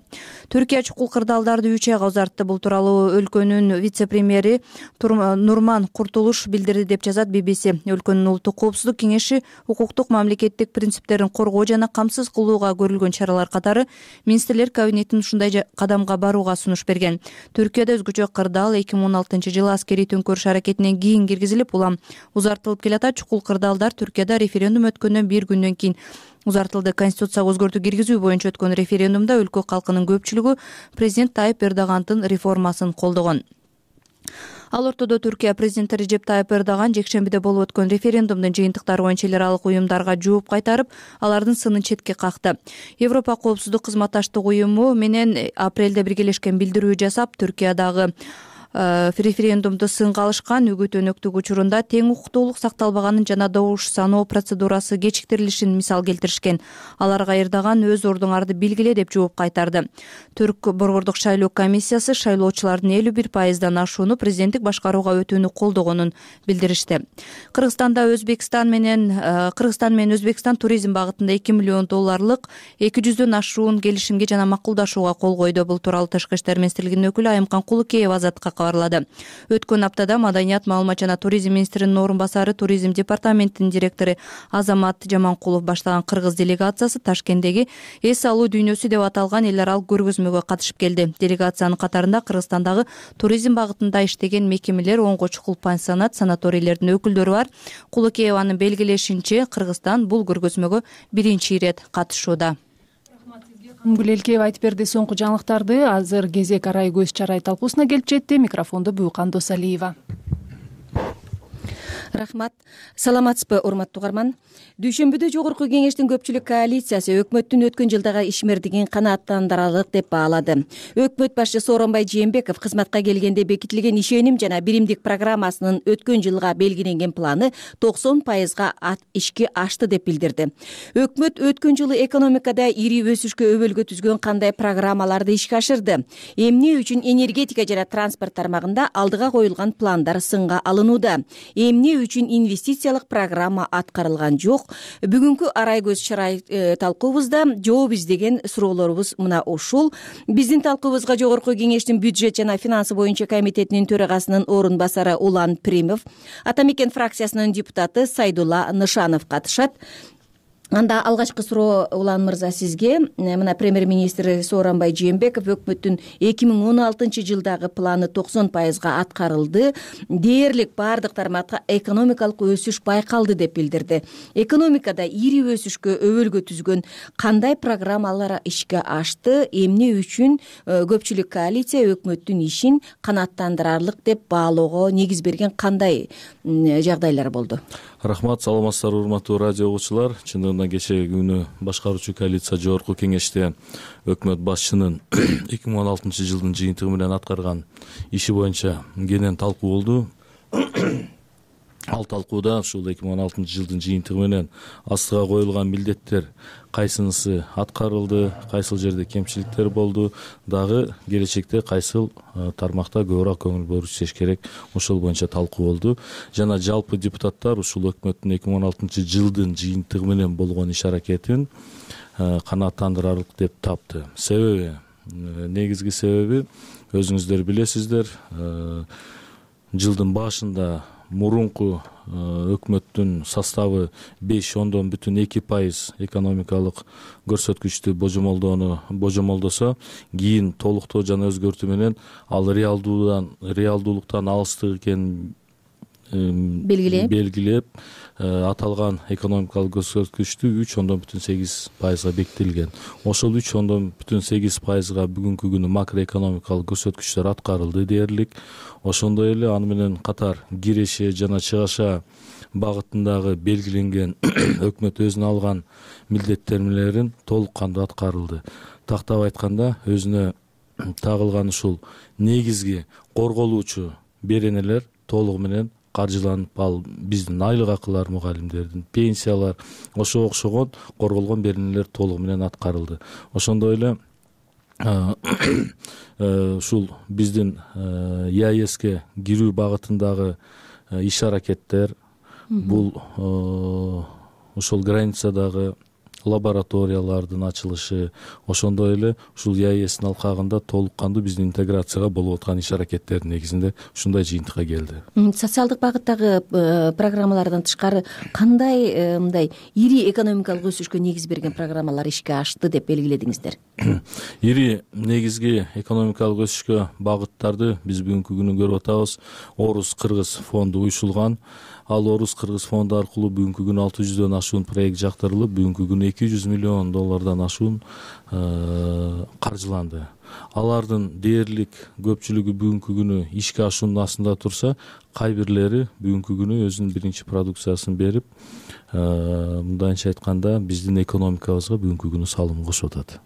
Түркия чукул кырдаалдарды үч айга узартты. Бул тууралуу өлкөнүн вице-премьери Нурман Куртулуш билдирди деп жазат би би си. Өлкөнүн улуттук коопсуздук кеңеши укуктук мамлекеттик принциптерин коргоо жана камсыз кылууга көрүлгөн чаралар катары министрлер кабинетинин ушундай кадамга барууга сунуш берген. Түркияда өзгөчө кырдаал эки миң он алтынчы жылы аскерий төңкөрүш аракетинен кийин киргизилип, улам узартылып келатат. Чукул кырдаалдар Түркияда референдум өткөндөн бир күндөн кийин узартылды. Конституцияга өзгөртүү киргизүү боюнча өткөн референдумда өлкө калкынын көпчүлүгү президент Тайып Эрдогандын реформасын колдогон. Ал ортодо Түркия президенти Режеп Тайып Эрдоган жекшембиде болуп өткөн референдумдун жыйынтыктары боюнча эл аралык уюмдарга жооп кайтарып, алардын сынын четке какты. Европа коопсуздук кызматташтык уюму менен апрелде биргелешкен билдирүү жасап, Түркиядагы референдумду сынга алышкан. Үгүт өнөктүк учурунда тең укуктуулук сакталбаганын жана добуш саноо процедурасы кечиктирилишин мисал келтиришкен. Аларга Эрдоган өз ордуңарды белгиле деп жооп кайтарды. Түрк борбордук шайлоо комиссиясы шайлоочулардын элүү бир пайыздан ашууну президенттик башкарууга өтүүнү колдогонун билдиришти. Кыргызстанда Өзбекстан менен Кыргызстан менен Өзбекстан туризм багытында эки миллион долларлык эки жүздөн ашуун келишимге жана макулдашууга кол койду. Бул тууралуу Тышкы иштер министрлигинин өкүлү Айымкан Кулукеева Азаттыкка кабарлады. Өткөн аптада Маданият, маалымат жана туризм министринин орун басары, туризм департаментинин директору Азамат Жаманкулов баштаган кыргыз делегациясы Ташкенттеги эс алуу дүйнөсү деп аталган эл аралык көргөзмөгө катышып келди. Делегациянын катарында Кыргызстандагы туризм багытында иштеген мекемелер, онго чукул пансионат, санаторийлердин өкүлдөрү бар. Кулукееванын белгилешинче, Кыргызстан бул көргөзмөгө биринчи ирет катышууда. Кангүл Элкеева айтып берди соңку жаңылыктарды. Азыр кезек арай көз чарай талкуусуна келип жетти. Микрофонду Буюкан Досалиева. Рахмат. Саламатсызбы, урматтуу угарман. Дүйшөмбүдө Жогорку Кеңештин көпчүлүк коалициясы өкмөттүн өткөн жылдагы ишмердигин канааттандырарлык деп баалады. Өкмөт башчысы Сооронбай Жээнбеков кызматка келгенде бекитилген ишеним жана биримдик программасынын өткөн жылга белгиленген планы токсон пайызга ишке ашты деп билдирди. Өкмөт өткөн жылы экономикада ири өсүшкө өбөлгө түзгөн кандай программаларды ишке ашырды? Эмне үчүн энергетика жана транспорт тармагында алдыга коюлган пландар сынга алынууда? Эмне үчүн инвестициялык программа аткарылган жок. Бүгүнкү арай көз чарай талкуубузда жооп издеген суроолорубуз мына ушул. Биздин талкуубузга Жогорку Кеңештин бюджет жана финансы боюнча комитетинин төрагасынын орун басары Улан Примов, Ата мекен фракциясынын депутаты Сайдулла Нышанов катышат. Анда алгачкы суроо Улан мырза сизге. Мына премьер-министр Сооронбай Жээнбеков өкмөттүн эки миң он алтынчы жылдагы планы токсон пайызга аткарылды. Дээрлик бардык тармакта экономикалык өсүш байкалды деп билдирди. Экономикада ири өсүшкө өбөлгө түзгөн кандай программалар ишке ашты? Эмне үчүн көпчүлүк коалиция өкмөттүн ишин канааттандырарлык деп баалоого негиз берген кандай жагдайлар болду? Рахмат, саламатсыздарбы урматтуу радио угуучулар. Чындыгында кечеги күнү башкаруучу коалиция Жогорку Кеңеште өкмөт башчынын эки миң он алтынчы жылдын жыйынтыгы менен аткарган иши боюнча кенен талкуу болду. Ал талкууда ушул эки миң он алтынчы жылдын жыйынтыгы менен астыга коюлган милдеттер кайсынысы аткарылды, кайсыл жерде кемчиликтер болду, дагы келечекте кайсыл тармакта көбүрөөк көңүл бурушиш керек, ошол боюнча талкуу болду. Жана жалпы депутаттар ушул өкмөттүн эки миң он алтынчы жылдын жыйынтыгы менен болгон иш аракетин канааттандырарлык деп тапты. Себеби, негизги себеби өзүңүздөр билесиздер, жылдын башында мурунку өкмөттүн составы беш ондон бүтүн эки пайыз экономикалык көрсөткүчтү божомолдоону божомолдосо, кийин толуктоо жана өзгөртүү менен ал реалдуудан реалдуулуктан алыстык экенин белгилеп белгилеп аталган экономикалык көрсөткүчтү үч ондон бүтүн сегиз пайызга бекитилген. Ошол үч ондон бүтүн сегиз пайызга бүгүнкү күнү макроэкономикалык көрсөткүчтөр аткарылды дээрлик. Ошондой эле аны менен катар киреше жана чыгаша багытындагы белгиленген өкмөт өзүнө алган милдеттенмелерин толук кандуу аткарылды. Тактап айтканда, өзүнө тагылган ушул негизги корголуучу беренелер толугу менен каржыланып, ал биздин айлык акылар, мугалимдердин пенсиялар, ошого окшогон корголгон беренелер толугу менен аткарылды. Ошондой эле ушул биздин ЕАЭСке кирүү багытындагы иш аракеттер, бул ошол границадагы лабораториялардын ачылышы, ошондой эле ушул ЕАЭСтин алкагында толук кандуу биздин интеграцияга болуп аткан иш аракеттердин негизинде ушундай жыйынтыкка келди. Социалдык багыттагы программалардан тышкары кандай мындай ири экономикалык өсүшкө негиз берген программалар ишке ашты деп белгиледиңиздер? Ири негизги экономикалык өсүшкө багыттарды биз бүгүнкү күнү көрүп атабыз. Орус-Кыргыз фонду уюшулган. Ал Орус-Кыргыз фонду аркылуу бүгүнкү күнү алты жүздөн ашуун проект жактырылып, бүгүнкү күнү эки жүз миллион доллардан ашуун каржыланды. Алардын дээрлик көпчүлүгү бүгүнкү күнү ишке ашуунун астында турса, кай бирлери бүгүнкү күнү өзүнүн биринчи продукциясын берип, мындайча айтканда биздин экономикабызга бүгүнкү күнү салым кошуп атат.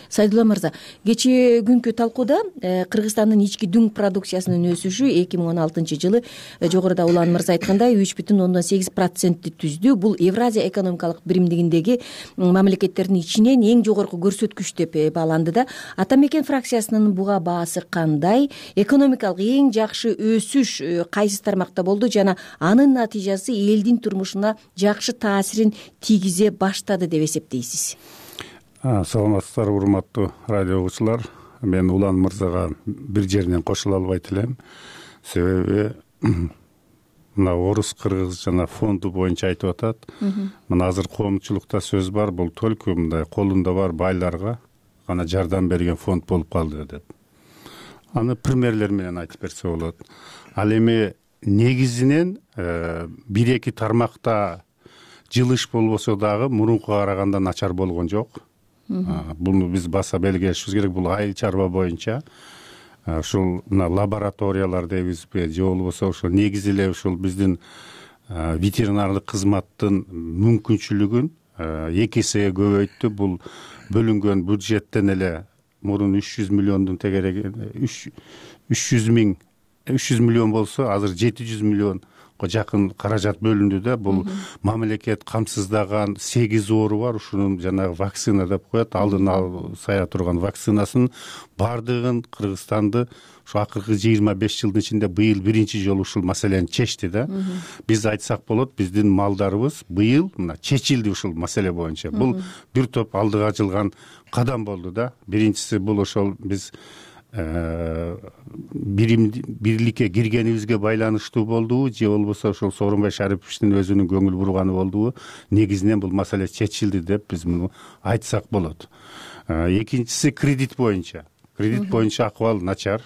Сайдулла мырза, кечээ күнкү талкууда Кыргызстандын ички дүң продукциясынын өсүшү эки миң он алтынчы жылы жогоруда Улан мырза айткандай үч бүтүн ондон сегиз процентти түздү. Бул Евразия экономикалык биримдигиндеги мамлекеттердин ичинен эң жогорку көрсөткүч деп бааланды да. Ата мекен фракциясынын буга баасы кандай? Экономикалык эң жакшы өсүш кайсы тармакта болду жана анын натыйжасы элдин турмушуна жакшы таасирин тийгизе баштады деп эсептейсиз? Саламатсыздарбы урматтуу радио угуучулар. Мен Улан мырзага бир жеринен кошула албайт элем. Себеби мына Орус-Кыргыз жана фонду боюнча айтып атат. Мына азыр коомчулукта сөз бар, бул только мындай колунда бар байларга гана жардам берген фонд болуп калды деп. Аны примерлер менен айтып берсе болот. Ал эми негизинен бир эки тармакта жылыш болбосо дагы мурункуга караганда начар болгон жок. Буну биз баса белгилешибиз керек. Бул айыл чарба боюнча ушул мына лабораториялар дейбизби же болбосо ошол негизи эле ушул биздин ветеринардык кызматтын мүмкүнчүлүгүн эки эсеге көбөйттү. Бул бөлүнгөн бюджеттен эле мурун үч жүз миллиондун тегереги үч жүз миң үч жүз миллион болсо азыр жети жүз миллион жакын каражат бөлүндү да. Бул мамлекет камсыздаган сегиз оору бар. Ушунун жанагы вакцина деп коет, алдын сая турган вакцинасын бардыгын Кыргызстанды ушу акыркы жыйырма беш жылдын ичинде быйыл биринчи жолу ушул маселени чечти да. Биз айтсак болот, биздин малдарыбыз быйыл мына чечилди ушул маселе боюнча. Бул бир топ алдыга жылган кадам болду да. Биринчиси бул ошол биз бирим бирликке киргенибизге байланыштуу болдубу же болбосо ошол Сооронбай Шариповичтин өзүнүн көңүл бурганы болдубу? Негизинен бул маселе чечилди деп биз муну айтсак болот. Экинчиси кредит боюнча. Кредит боюнча акыбал начар.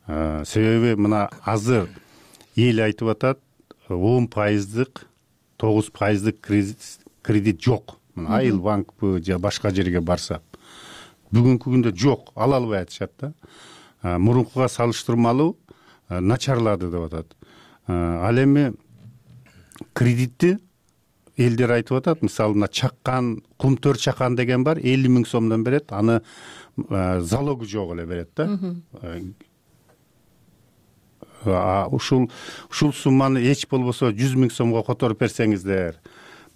Себеби мына азыр эл айтып атат, он пайыздык, тогуз пайыздык кредит жок. Мына Айыл банкпы же башка жерге барсак бүгүнкү күндө жок, ала албай атышат да. Мурункуга салыштырмалуу начарлады деп атат. Ал эми кредитти элдер айтып атат, мисалы мына чаккан, кумтөр чакан деген бар, элүү миң сомдон берет, аны залогу жок эле берет да. Ушул ушул сумманы эч болбосо жүз миң сомго которуп берсеңиздер,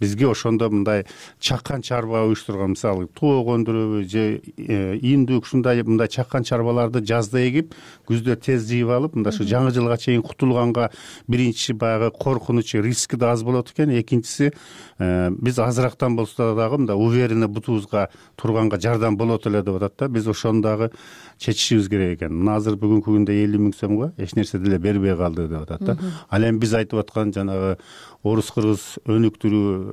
бизге ошондо мындай чаккан чарба уюштурган, мисалы тоок өндүрөбү же индүк ушундай мындай чаккан чарбаларды жазда эгип, күздө тез жыйып алып, мындай ушу жаңы жылга чейин кутулганга биринчи баягы коркунучу, риски да аз болот экен. Экинчиси, биз азырактан болсо дагы мындай уверенно бутубузга турганга жардам болот эле деп атат да. Биз ошону дагы чечишибиз керек экен. Мына азыр бүгүнкү күндө элүү миң сомго эч нерсе деле бербей калды деп атат да. Ал эми биз айтып аткан жанагы орус кыргыз өнүктүрүү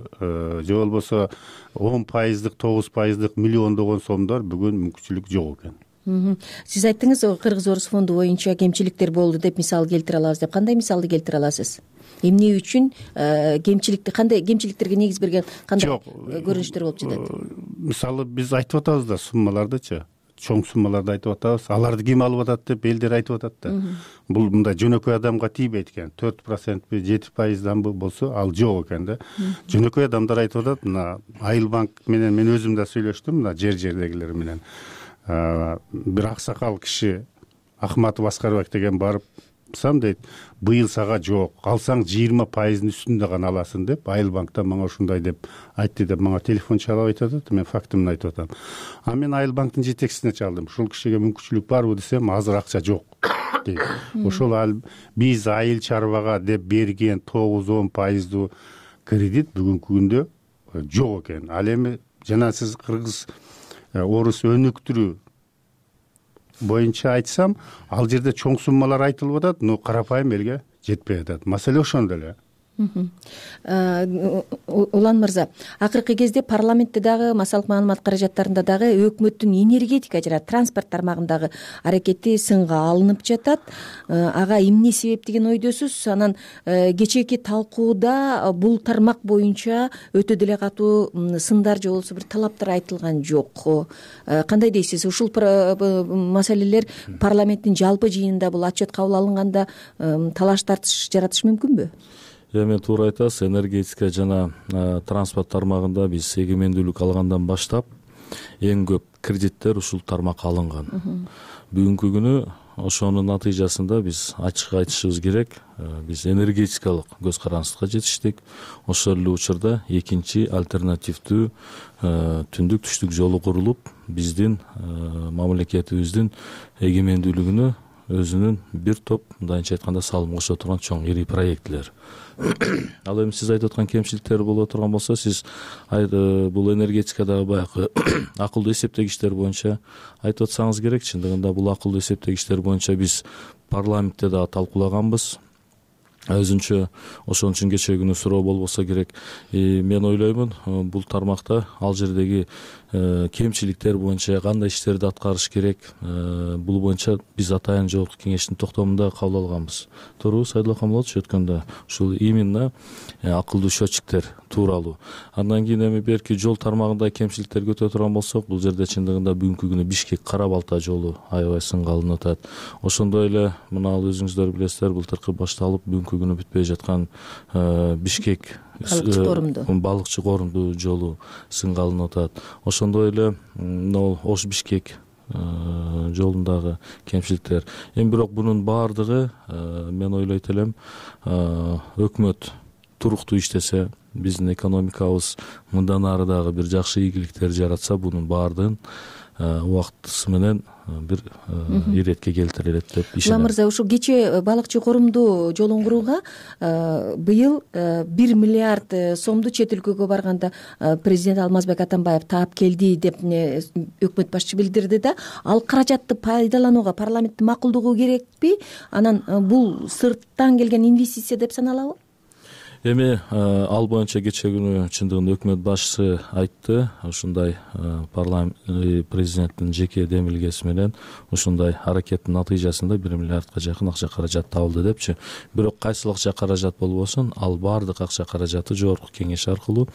же болбосо он пайыздык, тогуз пайыздык миллиондогон сомдор бүгүн мүмкүнчүлүк жок экен. Сиз айттыңыз, Кыргыз Орус фонду боюнча кемчиликтер болду деп мисал келтире алабыз деп. Кандай мисалды келтире аласыз? Эмне үчүн кемчиликти, кандай кемчиликтерге негиз берген кандай көрүнүштөр болуп жатат? Мисалы биз айтып атабыз да суммалардычы, чоң суммаларды айтып атабыз. Аларды ким алып атат деп элдер айтып атат да. Бул мындай жөнөкөй адамга тийбейт экен. төрт процентпи, жети пайызданбы болсо ал жок экен да. Жөнөкөй адамдар айтып атат, мына Айыл банк менен мен өзүм да сүйлөштүм, мына жер-жердегилер менен. Бир аксакал киши Акматов Аскарбек деген барып сам дейт, быйыл сага жок, алсаң жыйырма пайыздын үстүндө гана аласың деп, Айыл банктан мага ушундай деп айтты деп мага телефон чалып айтып атат. Мен фактымды айтып атам. А мен Айыл банктын жетекчисине чалдым. Ушул кишиге мүмкүнчүлүк барбы десем, азыр акча жок дейт. Ошол биз айыл чарбага деп берген тогуз он пайыздуу кредит бүгүнкү күндө жок экен. Ал эми жана сиз Кыргыз орус өнүктүрүү боюнча айтсам, ал жерде чоң суммалар айтылып атат, но карапайым элге жетпей атат. Маселе ошондо эле. Улан мырза, акыркы кезде парламентте дагы массалык маалымат каражаттарында дагы өкмөттүн энергетика жана транспорт тармагындагы аракети сынга алынып жатат. Ага эмне себеп деген ойдосуз? Анан кечээки талкууда бул тармак боюнча өтө деле катуу сындар же болбосо бир талаптар айтылган жок. Кандай дейсиз? Ушул маселелер парламенттин жалпы жыйынында бул отчет кабыл алынганда талаш тартыш жаратышы мүмкүнбү? Эми туура айтасыз, энергетика жана транспорт тармагында биз эгемендүүлүк алгандан баштап эң көп кредиттер ушул тармакка алынган. Бүгүнкү күнү ошонун натыйжасында биз ачык айтышыбыз керек, биз энергетикалык көз карандыкка жетиштик. Ошол эле учурда экинчи альтернативдүү түндүк түштүк жолу курулуп, биздин мамлекетибиздин эгемендүүлүгүнө өзүнүн бир топ, мындайча айтканда, салым кошо турган чоң ири проектлер. Ал эми сиз айтып аткан кемчиликтер боло турган болсо, сиз бул энергетикадагы баягы акылдуу эсептегичтер боюнча айтып атсаңыз керек. Чындыгында бул акылдуу эсептегичтер боюнча биз парламентте дагы талкуулаганбыз. Өзүнчө ошон үчүн кечээ күнү суроо болбосо керек. Мен ойлоймун, бул тармакта ал жердеги кемчиликтер боюнча кандай иштерди аткарыш керек, бул боюнча биз атайын жогорку кеңештин токтомунда кабыл алганбыз. Туурабы, Сайдулла Камалович, өткөндө ушул именно акылдуу счетчиктер тууралуу. Андан кийин эми берки жол тармагында кемчиликтерге өтө турган болсок, бул жерде чындыгында бүгүнкү күнү Бишкек Кара Балта жолу аябай сынга алынып атат. Ошондой эле мына ал өзүңүздөр билесиздер, былтыркы башталып бүгүнкү күнү бүтпөй жаткан Бишкек балыкчы корунду жолу сынга алынып атат. Ошондой эле Ош Бишкек жолундагы кемчиликтер. Эми бирок бунун баардыгы мен ойлойт элем өкмөт туруктуу иштесе, биздин экономикабыз мындан ары дагы бир жакшы ийгиликтер жаратса, бунун баардыгын убактысы менен бир иретке келтирилет деп ишенем. Улам мырза, ушул кечээ балыкчы корумду жолун курууга быйыл бир миллиард сомду чет өлкөгө барганда президент Алмазбек Атамбаев таап келди деп өкмөт башчысы билдирди да. Ал каражатты пайдаланууга парламенттин макулдугу керекпи? Анан бул сырттан келген инвестиция деп саналабы? Эми ал боюнча кечээ күнү чындыгында өкмөт башчысы айтты, ушундай парламент президенттин жеке демилгеси менен ушундай аракеттин натыйжасында бир миллиардка жакын акча каражат табылды депчи. Бирок кайсыл акча каражат болбосун, ал баардык акча каражаты жогорку кеңеш аркылуу,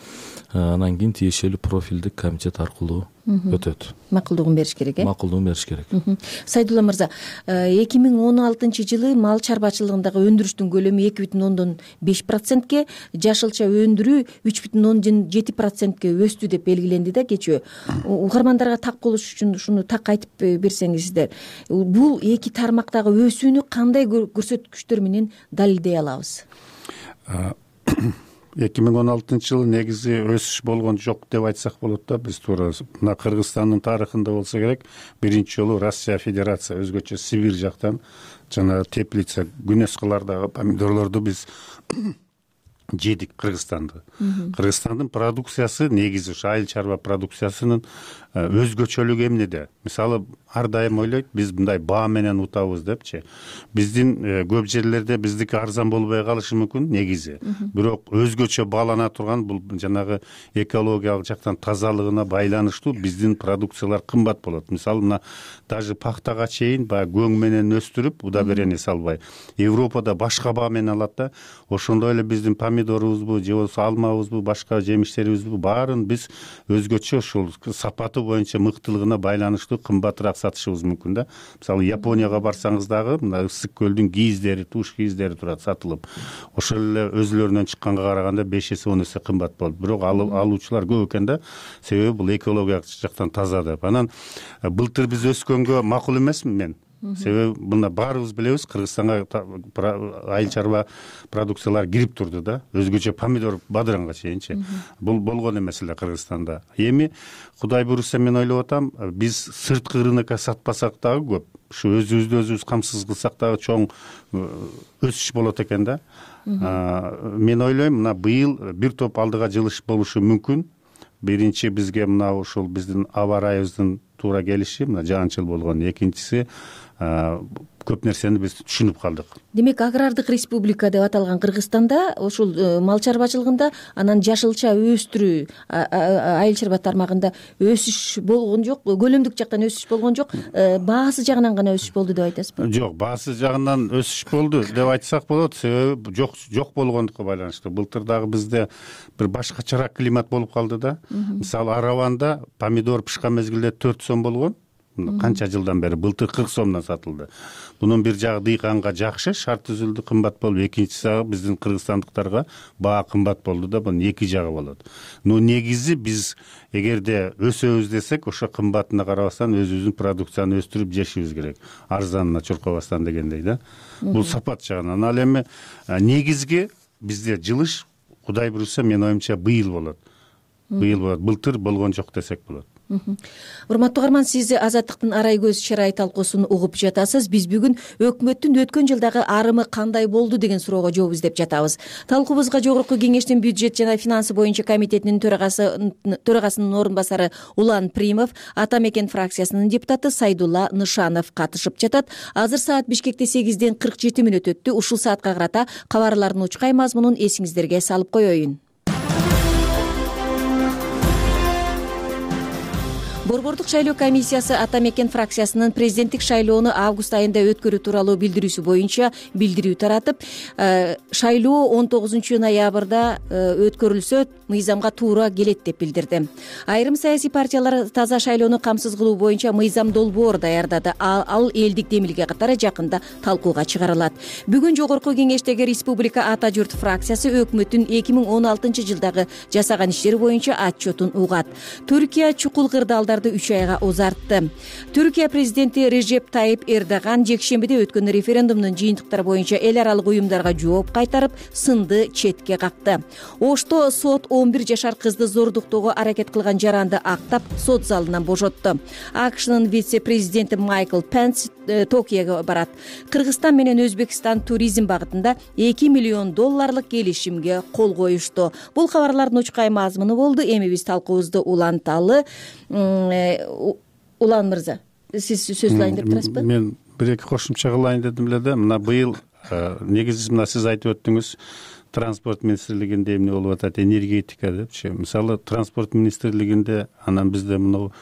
анан кийин тиешелүү профилдик комитет аркылуу өтөт. Макулдугун бериш керек, э? Макулдугун бериш керек. Сайдулла мырза, эки миң он алтынчы жылы мал чарбачылыгындагы өндүрүштүн көлөмү эки бүтүн ондон беш процентке, жашылча өндүрүү үч бүтүн ондон жети процентке өстү деп белгиленди да кечээ. Угармандарга так болуш үчүн ушуну так айтып берсеңиздер. Бул эки тармактагы өсүүнү кандай көрсөткүчтөр менен далилдей алабыз? эки миң он алтынчы жылы негизи өсүш болгон жок деп айтсак болот да. Биз туура мына Кыргызстандын тарыхында болсо керек, биринчи жолу Россия Федерация өзгөчө Сибирь жактан жана Теплица, Гүнөскалардагы помидорлорду биз жедик. Кыргызстанды. Кыргызстандын продукциясы негизи ушу айыл чарба продукциясынын өзгөчөлүгү эмнеде? Мисалы, ар дайым ойлойт, биз мындай баа менен утабыз депчи. Биздин көп жерлерде биздики арзан болбой калышы мүмкүн негизи. Бирок өзгөчө баалана турган бул жанагы экологиялык жактан тазалыгына байланыштуу биздин продукциялар кымбат болот. Мисалы, мына даже пахтага чейин баягы көң менен өстүрүп, удобрение салбай, Европада башка баа менен алат да. Ошондой эле биздин помидорубузбу, же болбосо алмабызбы, башка жемиштерибизби баарын биз өзгөчө ушул сапаты боюнча мыктылыгына байланыштуу кымбатыраак сатышыбыз мүмкүн да. Мисалы, Японияга барсаңыз дагы мына ысык көлдүн кийиздери, туш кийиздери турат сатылып. Ошол эле өзүлөрүнөн чыкканга караганда беш эсе он эсе кымбат болот. Бирок алуучулар көп экен да. Себеби бул экологиялык жактан таза деп. Анан былтыр биз өскөнгө макул эмесмин мен. Себеби мына баарыбыз билебиз, Кыргызстанга айыл чарба продукциялар кирип турду да. Өзгөчө помидор бадыранга чейинчи. Бул болгон эмес эле Кыргызстанда. Эми Кудай буйруса мен ойлоп атам, биз сырткы рынокко сатпасак дагы көп, ушу өзүбүздү өзүбүз камсыз кылсак дагы чоң өсүш болот экен да. Мен ойлойм, мына быйыл бир топ алдыга жылыш болушу мүмкүн. Биринчи бизге мына ушул биздин аба ырайыбыздын туура келиши, мына жаанчыл болгон. Экинчиси көп нерсени биз түшүнүп калдык. Демек, агрардык республика деп аталган Кыргызстанда ушул мал чарбачылыгында анан жашылча өстүрүү айыл чарба тармагында өсүш болгон жок, көлөмдүк жактан өсүш болгон жок, баасы жагынан гана өсүш болду деп айтасызбы? Жок, баасы жагынан өсүш болду деп айтсак болот, себеби жок жок болгондукка байланыштуу. Былтыр дагы бизде бир башкачараак климат болуп калды да. Мисалы, Араванда помидор пышкан мезгилде төрт сом болгон. Канча жылдан бери былтыр кырк сомдон сатылды. Бунун бир жагы дыйканга жакшы, шарт түзүлдү, кымбат болду. Экинчиси жагы биздин кыргызстандыктарга баа кымбат болду да. Бунун эки жагы болот. Но негизи биз эгерде өсөбүз десек, ошо кымбатына карабастан өзүбүздүн продукцияны өстүрүп жешибиз керек. Арзанына чуркабастан дегендей да. Бул сапат жагынан. Ал эми негизги бизде жылыш, Кудай буйруса, мен оюмча быйыл болот. Быйыл болот. Былтыр болгон жок десек болот. Урматтуу угарман, сиз Азаттыктын арай көз чырай талкуусун угуп жатасыз. Биз бүгүн өкмөттүн өткөн жылдагы арымы кандай болду деген суроого жооп издеп жатабыз. Талкуубузга Жогорку Кеңештин бюджет жана финансы боюнча комитетинин төрагасы төрагасынын орун басары Улан Примов, Ата Мекен фракциясынын депутаты Сайдулла Нышанов катышып жатат. Азыр саат Бишкекте сегизден кырк жети мүнөт өттү. Ушул саатка карата кабарлардын учкай мазмунун эсиңиздерге салып коеюн. Борбордук шайлоо комиссиясы Ата Мекен фракциясынын президенттик шайлоону август айында өткөрүү тууралуу билдирүүсү боюнча билдирүү таратып, шайлоо он тогузунчу ноябрда өткөрүлсө мыйзамга туура келет деп билдирди. Айрым саясий партиялар таза шайлоону камсыз кылуу боюнча мыйзам долбоор даярдады. Ал элдик демилге катары жакында талкууга чыгарылат. Бүгүн Жогорку Кеңештеги Республика Ата журт фракциясы өкмөттүн эки миң он алтынчы жылдагы жасаган иштери боюнча отчетун угат. Түркия чукул кырдаалдар талаштарды үч айга узартты. Түркия президенти Режеп Тайип Эрдоган жекшембиде өткөн референдумдун жыйынтыктары боюнча эл аралык уюмдарга жооп кайтарып, сынды четке какты. Ошто сот он бир жашар кызды зордуктоого аракет кылган жаранды актап, сот залынан бошотту. АКШнын вице-президенти Майкл Пенс Токиого барат. Кыргызстан менен Өзбекстан туризм багытында эки миллион долларлык келишимге кол коюшту. Бул кабарлардын учкай мазмуну болду. Эми биз талкуубузду уланталы. Улан мырза, сиз сөз кылайын деп турасызбы? Мен бир эки кошумча кылайын дедим эле да. Мына быйыл негизи мына сиз айтып өттүңүз, транспорт министрлигинде эмне болуп атат, энергетика депчи. Мисалы транспорт министрлигинде анан бизде мына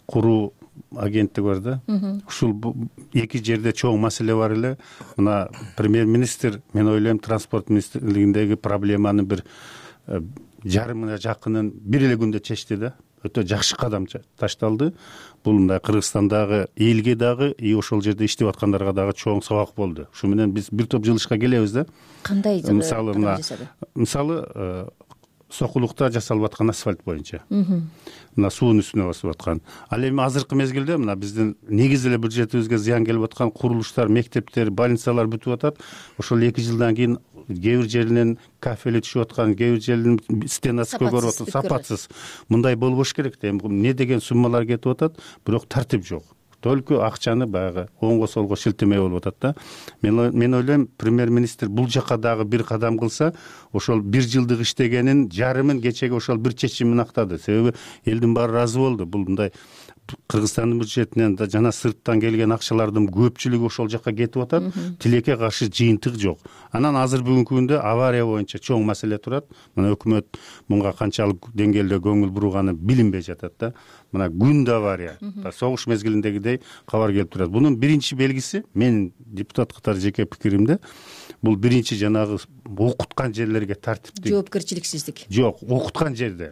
куруу агенттик бар да. Ушул эки жерде чоң маселе бар эле. Мына премьер-министр, мен ойлойм, транспорт министрлигиндеги проблеманы бир жарымына жакынын бир эле күндө чечти да. Өтө жакшы кадам ташталды. Бул мындай Кыргызстандагы элге дагы, и ошол жерде иштеп аткандарга дагы чоң сабак болду. Ушу менен биз бир топ жылышка келебиз да. Кандай мисалы мына мисалы Сокулукта жасалып аткан асфальт боюнча. Мына суунун үстүнө басып аткан. Ал эми азыркы мезгилде мына биздин негизи эле бюджетибизге зыян келип аткан курулуштар, мектептер, больницалар бүтүп атат. Ошол эки жылдан кийин кээ бир жеринен кафели түшүп аткан, кээ бир жеринин стенасы көгөрүп аткан, сапатсыз. Мындай болбош керек да. Эми эмне деген суммалар кетип атат, бирок тартип жок. Только акчаны баягы оңго солго шилтемей болуп атат да. Мен мен ойлойм, премьер-министр бул жака дагы бир кадам кылса, ошол бир жылдык иштегенин жарымын кечеге ошол бир чечим менен актады. Себеби элдин баары ыраазы болду. Бул мындай Кыргызстандын бюджетинен да жана сырттан келген акчалардын көпчүлүгү ошол жака кетип атат. Тилекке каршы жыйынтык жок. Анан азыр бүгүнкү күндө авария боюнча чоң маселе турат. Мына өкмөт мунга канчалык деңгээлде көңүл буруганы билинбей жатат да. Мына күндө авария, согуш мезгилиндегидей кабар келип турат. Бунун биринчи белгиси, менин депутат катары жеке пикиримде, бул биринчи жанагы окуткан жерлерге тартиптик жоопкерчиликсиздик. Жок, окуткан жерде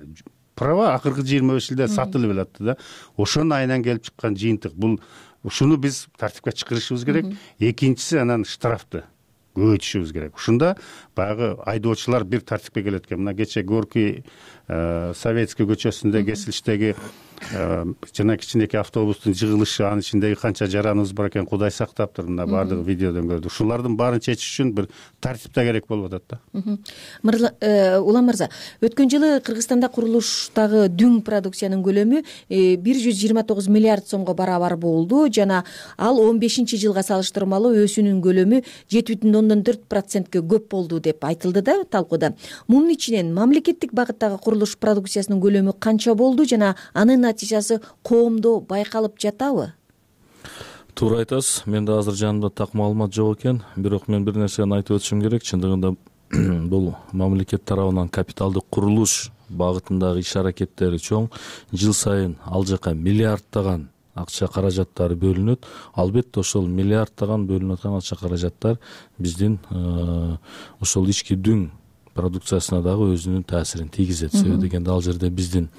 права акыркы жыйырма беш жылда сатылып элатты да. Ошонун айынан келип чыккан жыйынтык. Бул ушуну биз тартипке чыгарышыбыз керек. Экинчиси анан штрафты көбөйтүшүбүз керек. Ушунда баягы айдоочулар бир тартипке келет экен. Мына кече Горький Советский көчөсүндө кесилиштеги жана кичинекей автобустун жыгылышы, анын ичиндеги канча жараныбыз бар экен, Кудай сактаптыр. Мына баардыгы видеодон көрдүк. Ушулардын баарын чечиш үчүн бир тартипте керек болуп атат да. Улан мырза, өткөн жылы Кыргызстанда курулуштагы дүң продукциянын көлөмү бир жүз жыйырма тогуз миллиард сомго барабар болду жана ал он бешинчи жылга салыштырмалуу өсүүнүн көлөмү жети бүтүн ондон төрт процентке көп болду деп айтылды да талкууда. Мунун ичинен мамлекеттик багыттагы курулуш продукциясынын көлөмү канча болду жана анын натыйжасы коомдо байкалып жатабы? Туура айтасыз. Менде азыр жанымда так маалымат жок экен, бирок мен бир нерсени айтып өтүшүм керек. Чындыгында бул мамлекет тарабынан капиталдык курулуш багытындагы иш аракеттери чоң. Жыл сайын ал жака миллиардтаган акча каражаттары бөлүнөт. Албетте ошол миллиардтаган бөлүнүп аткан акча каражаттар биздин ошол ички дүң продукциясына дагы өзүнүн таасирин тийгизет. Себеби дегенде ал жерде биздин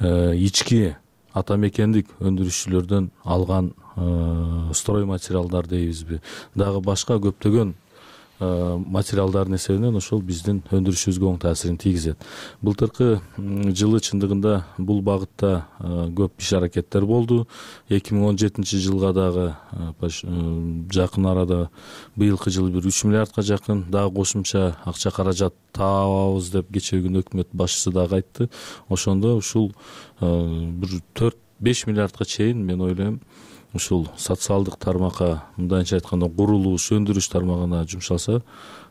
ички ата мекендик өндүрүшчүлөрдөн алган строй материалдар дейбизби, дагы башка көптөгөн материалдардын эсебинен ошол биздин өндүрүшүбүзгө оң таасирин тийгизет. Былтыркы жылы чындыгында бул багытта көп иш аракеттер болду. эки миң он жетинчи жылга дагы жакын арада быйылкы жылы бир үч миллиардка жакын дагы кошумча акча каражат табабыз деп кечээ күнү өкмөт башчысы дагы айтты. Ошондо ушул бир төрт беш миллиардка чейин мен ойлойм ушул социалдык тармакка, мындайча айтканда курулуш, өндүрүш тармагына жумшалса,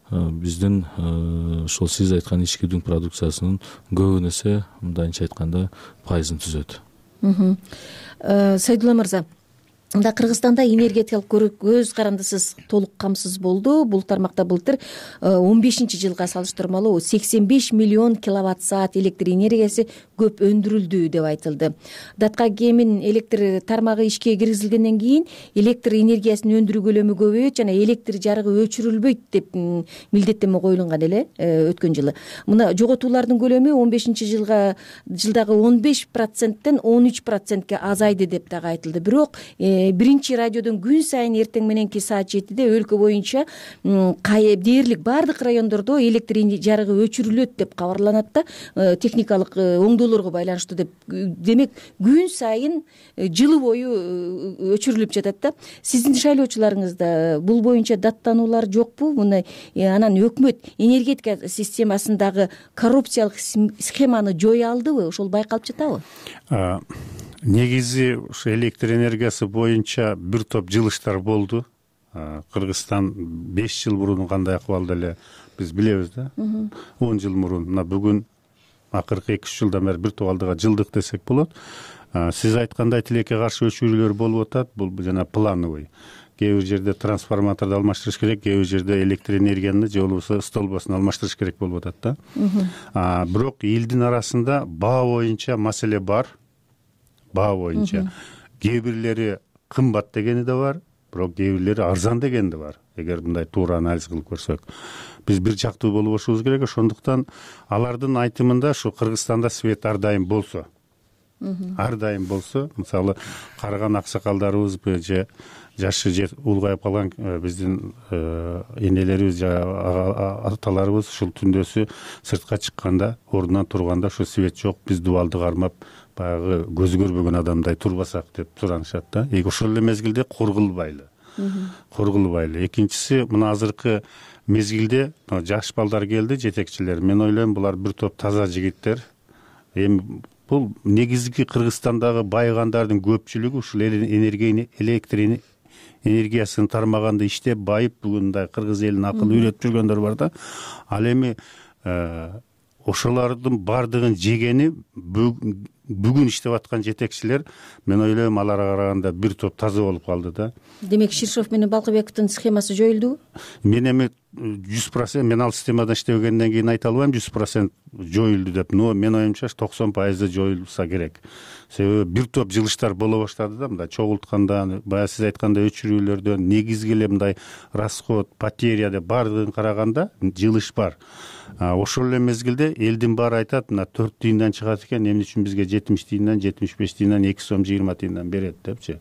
биздин ошол сиз айткан ички дүң продукциясынын көбүн эсе, мындайча айтканда, пайызын түзөт. Сайдулла мырза, мында Кыргызстанда энергетикалык көз карандысыз толук камсыз болду. Бул тармакта былтыр он бешинчи жылга салыштырмалуу сексен беш миллион киловатт саат электр энергиясы көп өндүрүлдү деп айтылды. Датка кемин электр тармагы ишке киргизилгенден кийин электр энергиясын өндүрүү көлөмү көбөйөт жана электр жарыгы өчүрүлбөйт деп милдеттенме коюлган эле өткөн жылы. Мына жоготуулардын көлөмү он бешинчи жылга жылдагы он беш проценттен он үч процентке азайды деп дагы айтылды. Бирок биринчи радиодон күн сайын эртең мененки саат жетиде өлкө боюнча дээрлик баардык райондордо электр жарыгы өчүрүлөт деп кабарланат да, техникалык оңдоолорго байланыштуу деп. Демек күн сайын жылы бою өчүрүлүп жатат да. Сиздин шайлоочуларыңызда бул боюнча даттануулар жокпу? Мындай анан өкмөт энергетика системасындагы коррупциялык схеманы жое алдыбы? Ошол байкалып жатабы? Негизи ушу электр энергиясы боюнча бир топ жылыштар болду. Кыргызстан беш жыл мурун кандай акыбалда эле биз билебиз да. он жыл мурун, мына бүгүн акыркы эки үч жылдан бери бир топ алдыга жылдык десек болот. Сиз айткандай тилекке каршы өчүрүүлөр болуп атат. Бул жана плановый. Кээ бир жерде трансформаторду алмаштырыш керек, кээ бир жерде электр энергияны же болбосо столбосун алмаштырыш керек болуп атат да. Бирок элдин арасында баа боюнча маселе бар. Баа боюнча кээ бирлери кымбат дегени да бар, бирок кээ бирлери арзан дегени да бар. Эгер мындай туура анализ кылып көрсөк, биз бир жактуу болбошубуз керек. Ошондуктан алардын айтымында ушу Кыргызстанда свет ар дайым болсо, ар дайым болсо, мисалы карыган аксакалдарыбыз же жашы же улгайып калган биздин энелерибиз же аталарыбыз ушул түндөсү сыртка чыкканда, ордунан турганда ушу свет жок, биз дубалды кармап баягы көзү көрбөгөн адамдай турбасак деп суранышат да. Ошол эле мезгилде кургулбайлы. Кургулбайлы. Экинчиси, мына азыркы мезгилде жаш балдар келди, жетекчилер. Мен ойлойм, булар бир топ таза жигиттер. Эми бул негизги Кыргызстандагы байыгандардын көпчүлүгү ушул электр энергиясын тармаганда иштеп байып, бүгүн мындай кыргыз элин акыл үйрөтүп жүргөндөр бар да. Ал эми ошолордун бардыгын жегени бүгүн иштеп аткан жетекчилер, мен ойлойм, аларга караганда бир топ таза болуп калды да. Демек Ширшов менен Балкыбековдун схемасы жоюлдубу? Мен эми жүз процент мен ал системада иштебегенден кийин айта албайм жүз процент жоюлду деп, но мен оюмча токсон пайыз жоюлса керек. Себеби бир топ жылыштар боло баштады да, мындай чогулткандан, баягы сиз айткандай өчүрүүлөрдөн, негизги эле мындай расход, потеря деп бардыгын караганда жылыш бар. Ошол эле мезгилде элдин баары айтат, мына төрт тыйындан чыгат экен, эмне үчүн бизге жетимиш тыйындан, жетимиш беш тыйындан, эки сом жыйырма тыйындан берет депчи.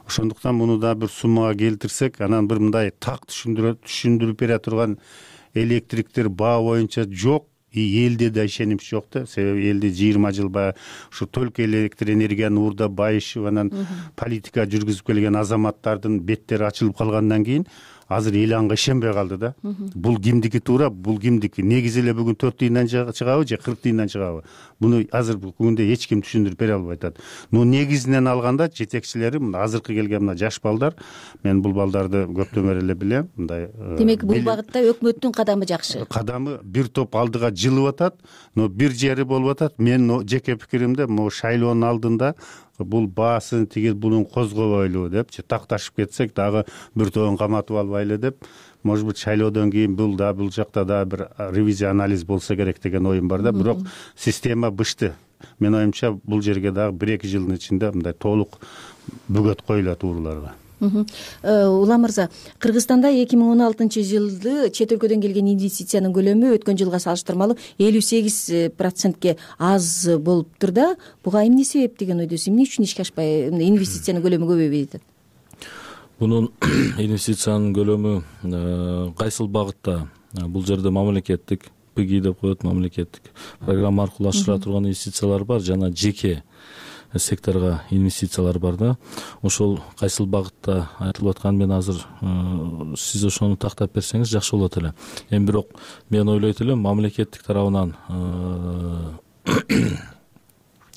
Ошондуктан муну да бир суммага келтирсек, анан бир мындай так түшүндүрүп бере турган электриктер баа боюнча жок, и элде да ишенимч жок да. Себеби элде жыйырма жыл баягы ушу только электр энергияны уурдап байышып, анан политика жүргүзүп келген азаматтардын беттери ачылып калгандан кийин азыр эл анга ишенбей калды да. Бул кимдики туура, бул кимдики? Негизи эле бүгүн төрт тыйындан чыгабы же кырк тыйындан чыгабы? Муну азыр бүгүндө эч ким түшүндүрүп бере албай атат. Но негизинен алганда жетекчилери мына азыркы келген мына жаш балдар, мен бул балдарды көптөн бери эле билем, мындай. Демек бул багытта өкмөттүн кадамы жакшы. Кадамы бир топ алдыга жылып атат, но бир жери болуп атат. Мен жеке пикиримде, могу шайлоонун алдында бул баасын тиги бунун козгобойлу депчи такташып кетсек, дагы бир тобун каматып албайлы деп, может быть шайлоодон кийин бул да бул жакта да бир ревизия анализ болсо керек деген оюм бар да. Бирок система бышты. Мен оюмча бул жерге дагы бир эки жылдын ичинде мындай толук бөгөт коюлат ууруларга. Улам мырза, Кыргызстанда эки миң он алтынчы жылды чет өлкөдөн келген инвестициянын көлөмү өткөн жылга салыштырмалуу элүү сегиз процентке аз болуптур да. Буга эмне себеп деген ойдосуз? Эмне үчүн ишке ашпай инвестициянын көлөмү көбөйбөй атат? Бунун инвестициянын көлөмү кайсыл багытта? Бул жерде мамлекеттик пги деп коет, мамлекеттик программа аркылуу ашыра турган инвестициялар бар, жана жеке секторго инвестициялар бар да. Ошол кайсыл багытта айтылып аткан, мен азыр сиз ошону тактап берсеңиз жакшы болот эле. Эми бирок мен ойлойт элем, мамлекеттик тарабынан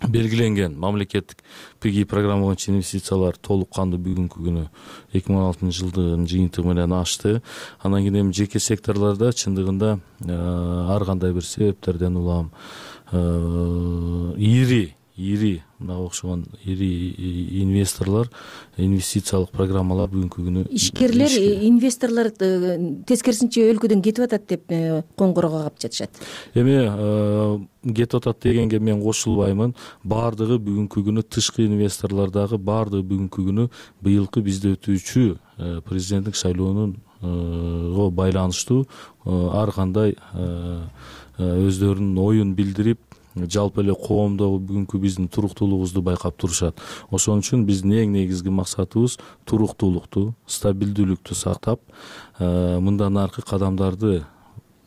белгиленген мамлекеттик пги программа боюнча инвестициялар толук кандуу бүгүнкү күнү эки миң он алтынчы жылдын жыйынтыгы менен ашты. Анан кийин эми жеке секторлордо чындыгында ар кандай бир себептерден улам ири ири мынга окшогон ири инвесторлор инвестициялык программалар бүгүнкү күнү ишкерлер, инвесторлор тескерисинче өлкөдөн кетип атат деп коңгуроого кап жатышат. Эми кетип атат дегенге мен кошулбаймын. Баардыгы бүгүнкү күнү тышкы инвесторлордагы баардыгы бүгүнкү күнү быйылкы бизде өтүүчү президенттик шайлоонунго байланыштуу ар кандай өздөрүнүн оюн билдирип, жалпы эле коомдогу бүгүнкү биздин туруктуулугубузду байкап турушат. Ошон үчүн биздин эң негизги максатыбыз туруктуулукту, стабилдүүлүктү сактап, мындан аркы кадамдарды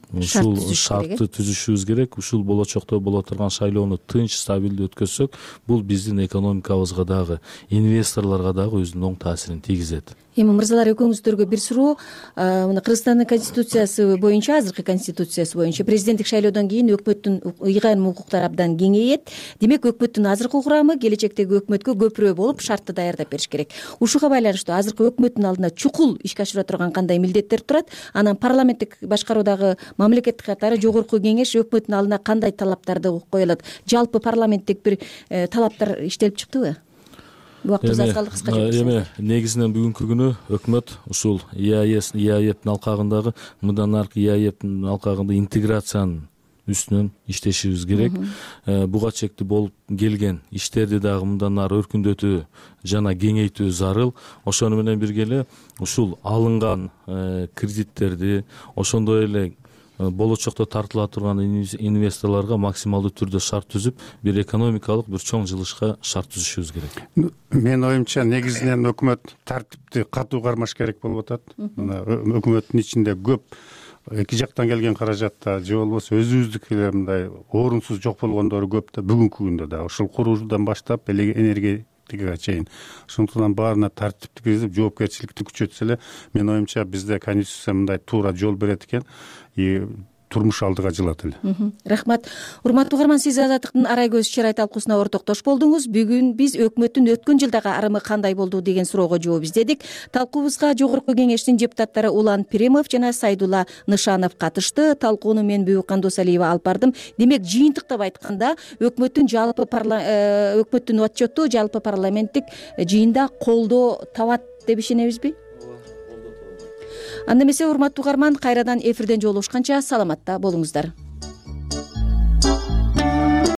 ушул шартты түзүшүбүз керек. Ушул болочокто боло турган шайлоону тынч, стабилдүү өткөзсөк, бул биздин экономикабызга дагы, инвесторлорго дагы өзүнүн оң таасирин тийгизет. Эми мырзалар, экөөңүздөргө бир суроо. Мына Кыргызстандын конституциясы боюнча, азыркы конституциясы боюнча президенттик шайлоодон кийин өкмөттүн ыйгарым укуктары абдан кеңейет. Демек, өкмөттүн азыркы курамы келечектеги өкмөткө көпүрө болуп, шартты даярдап бериш керек. Ушуга байланыштуу азыркы өкмөттүн алдына чукул ишке ашыра турган кандай милдеттер турат? Анан парламенттик башкаруудагы мамлекеттик катары жогорку кеңеш өкмөттүн алдына кандай талаптарды коюлат? Жалпы парламенттик бир талаптар иштелип чыктыбы? Убактыбыз аз калды, кыска жооп. Эми негизинен бүгүнкү күнү өкмөт ушул ИАЭПтин алкагындагы, мындан аркы ИАЭПтин алкагында интеграциянын үстүнөн иштешибиз керек. Буга чектүү болуп келген иштерди дагы мындан ары өркүндөтүү жана кеңейтүү зарыл. Ошону менен бирге эле ушул алынган кредиттерди, ошондой эле болочокто тартыла турган инвесторлорго максималдуу түрдө шарт түзүп, бир экономикалык бир чоң жылышка шарт түзүшүбүз керек. Менин оюмча, негизинен өкмөт тартипти катуу кармаш керек болуп атат. Мына өкмөттүн ичинде көп эки жактан келген каражатта же болбосо өзүбүздүк эле мындай орунсуз жок болгондору көп да, бүгүнкү күндө да ушул куруудан баштап энергетикага чейин. Ошондуктан баарына тартипти киргизип, жоопкерчиликти күчөтсө эле, менин оюмча, бизде конституция мындай туура жол берет экен, и турмуш алдыга жылат эле. Рахмат. Урматтуу угарман, сиз Азаттыктын Арай көз чырай талкуусуна ортоктош болдуңуз. Бүгүн биз өкмөттүн өткөн жылдагы арымы кандай болду деген суроого жооп издедик. Талкуубузга жогорку кеңештин депутаттары Улан Пиримов жана Сайдулла Нышанов катышты. Талкууну мен Бүбүкан Досалиева алып бардым. Демек, жыйынтыктап айтканда, өкмөттүн жалпы өкмөттүн отчету жалпы парламенттик жыйында колдоо табат деп ишенебизби? Анда эмесе, урматтуу угарман, кайрадан эфирден жолугушканча саламатта болуңуздар.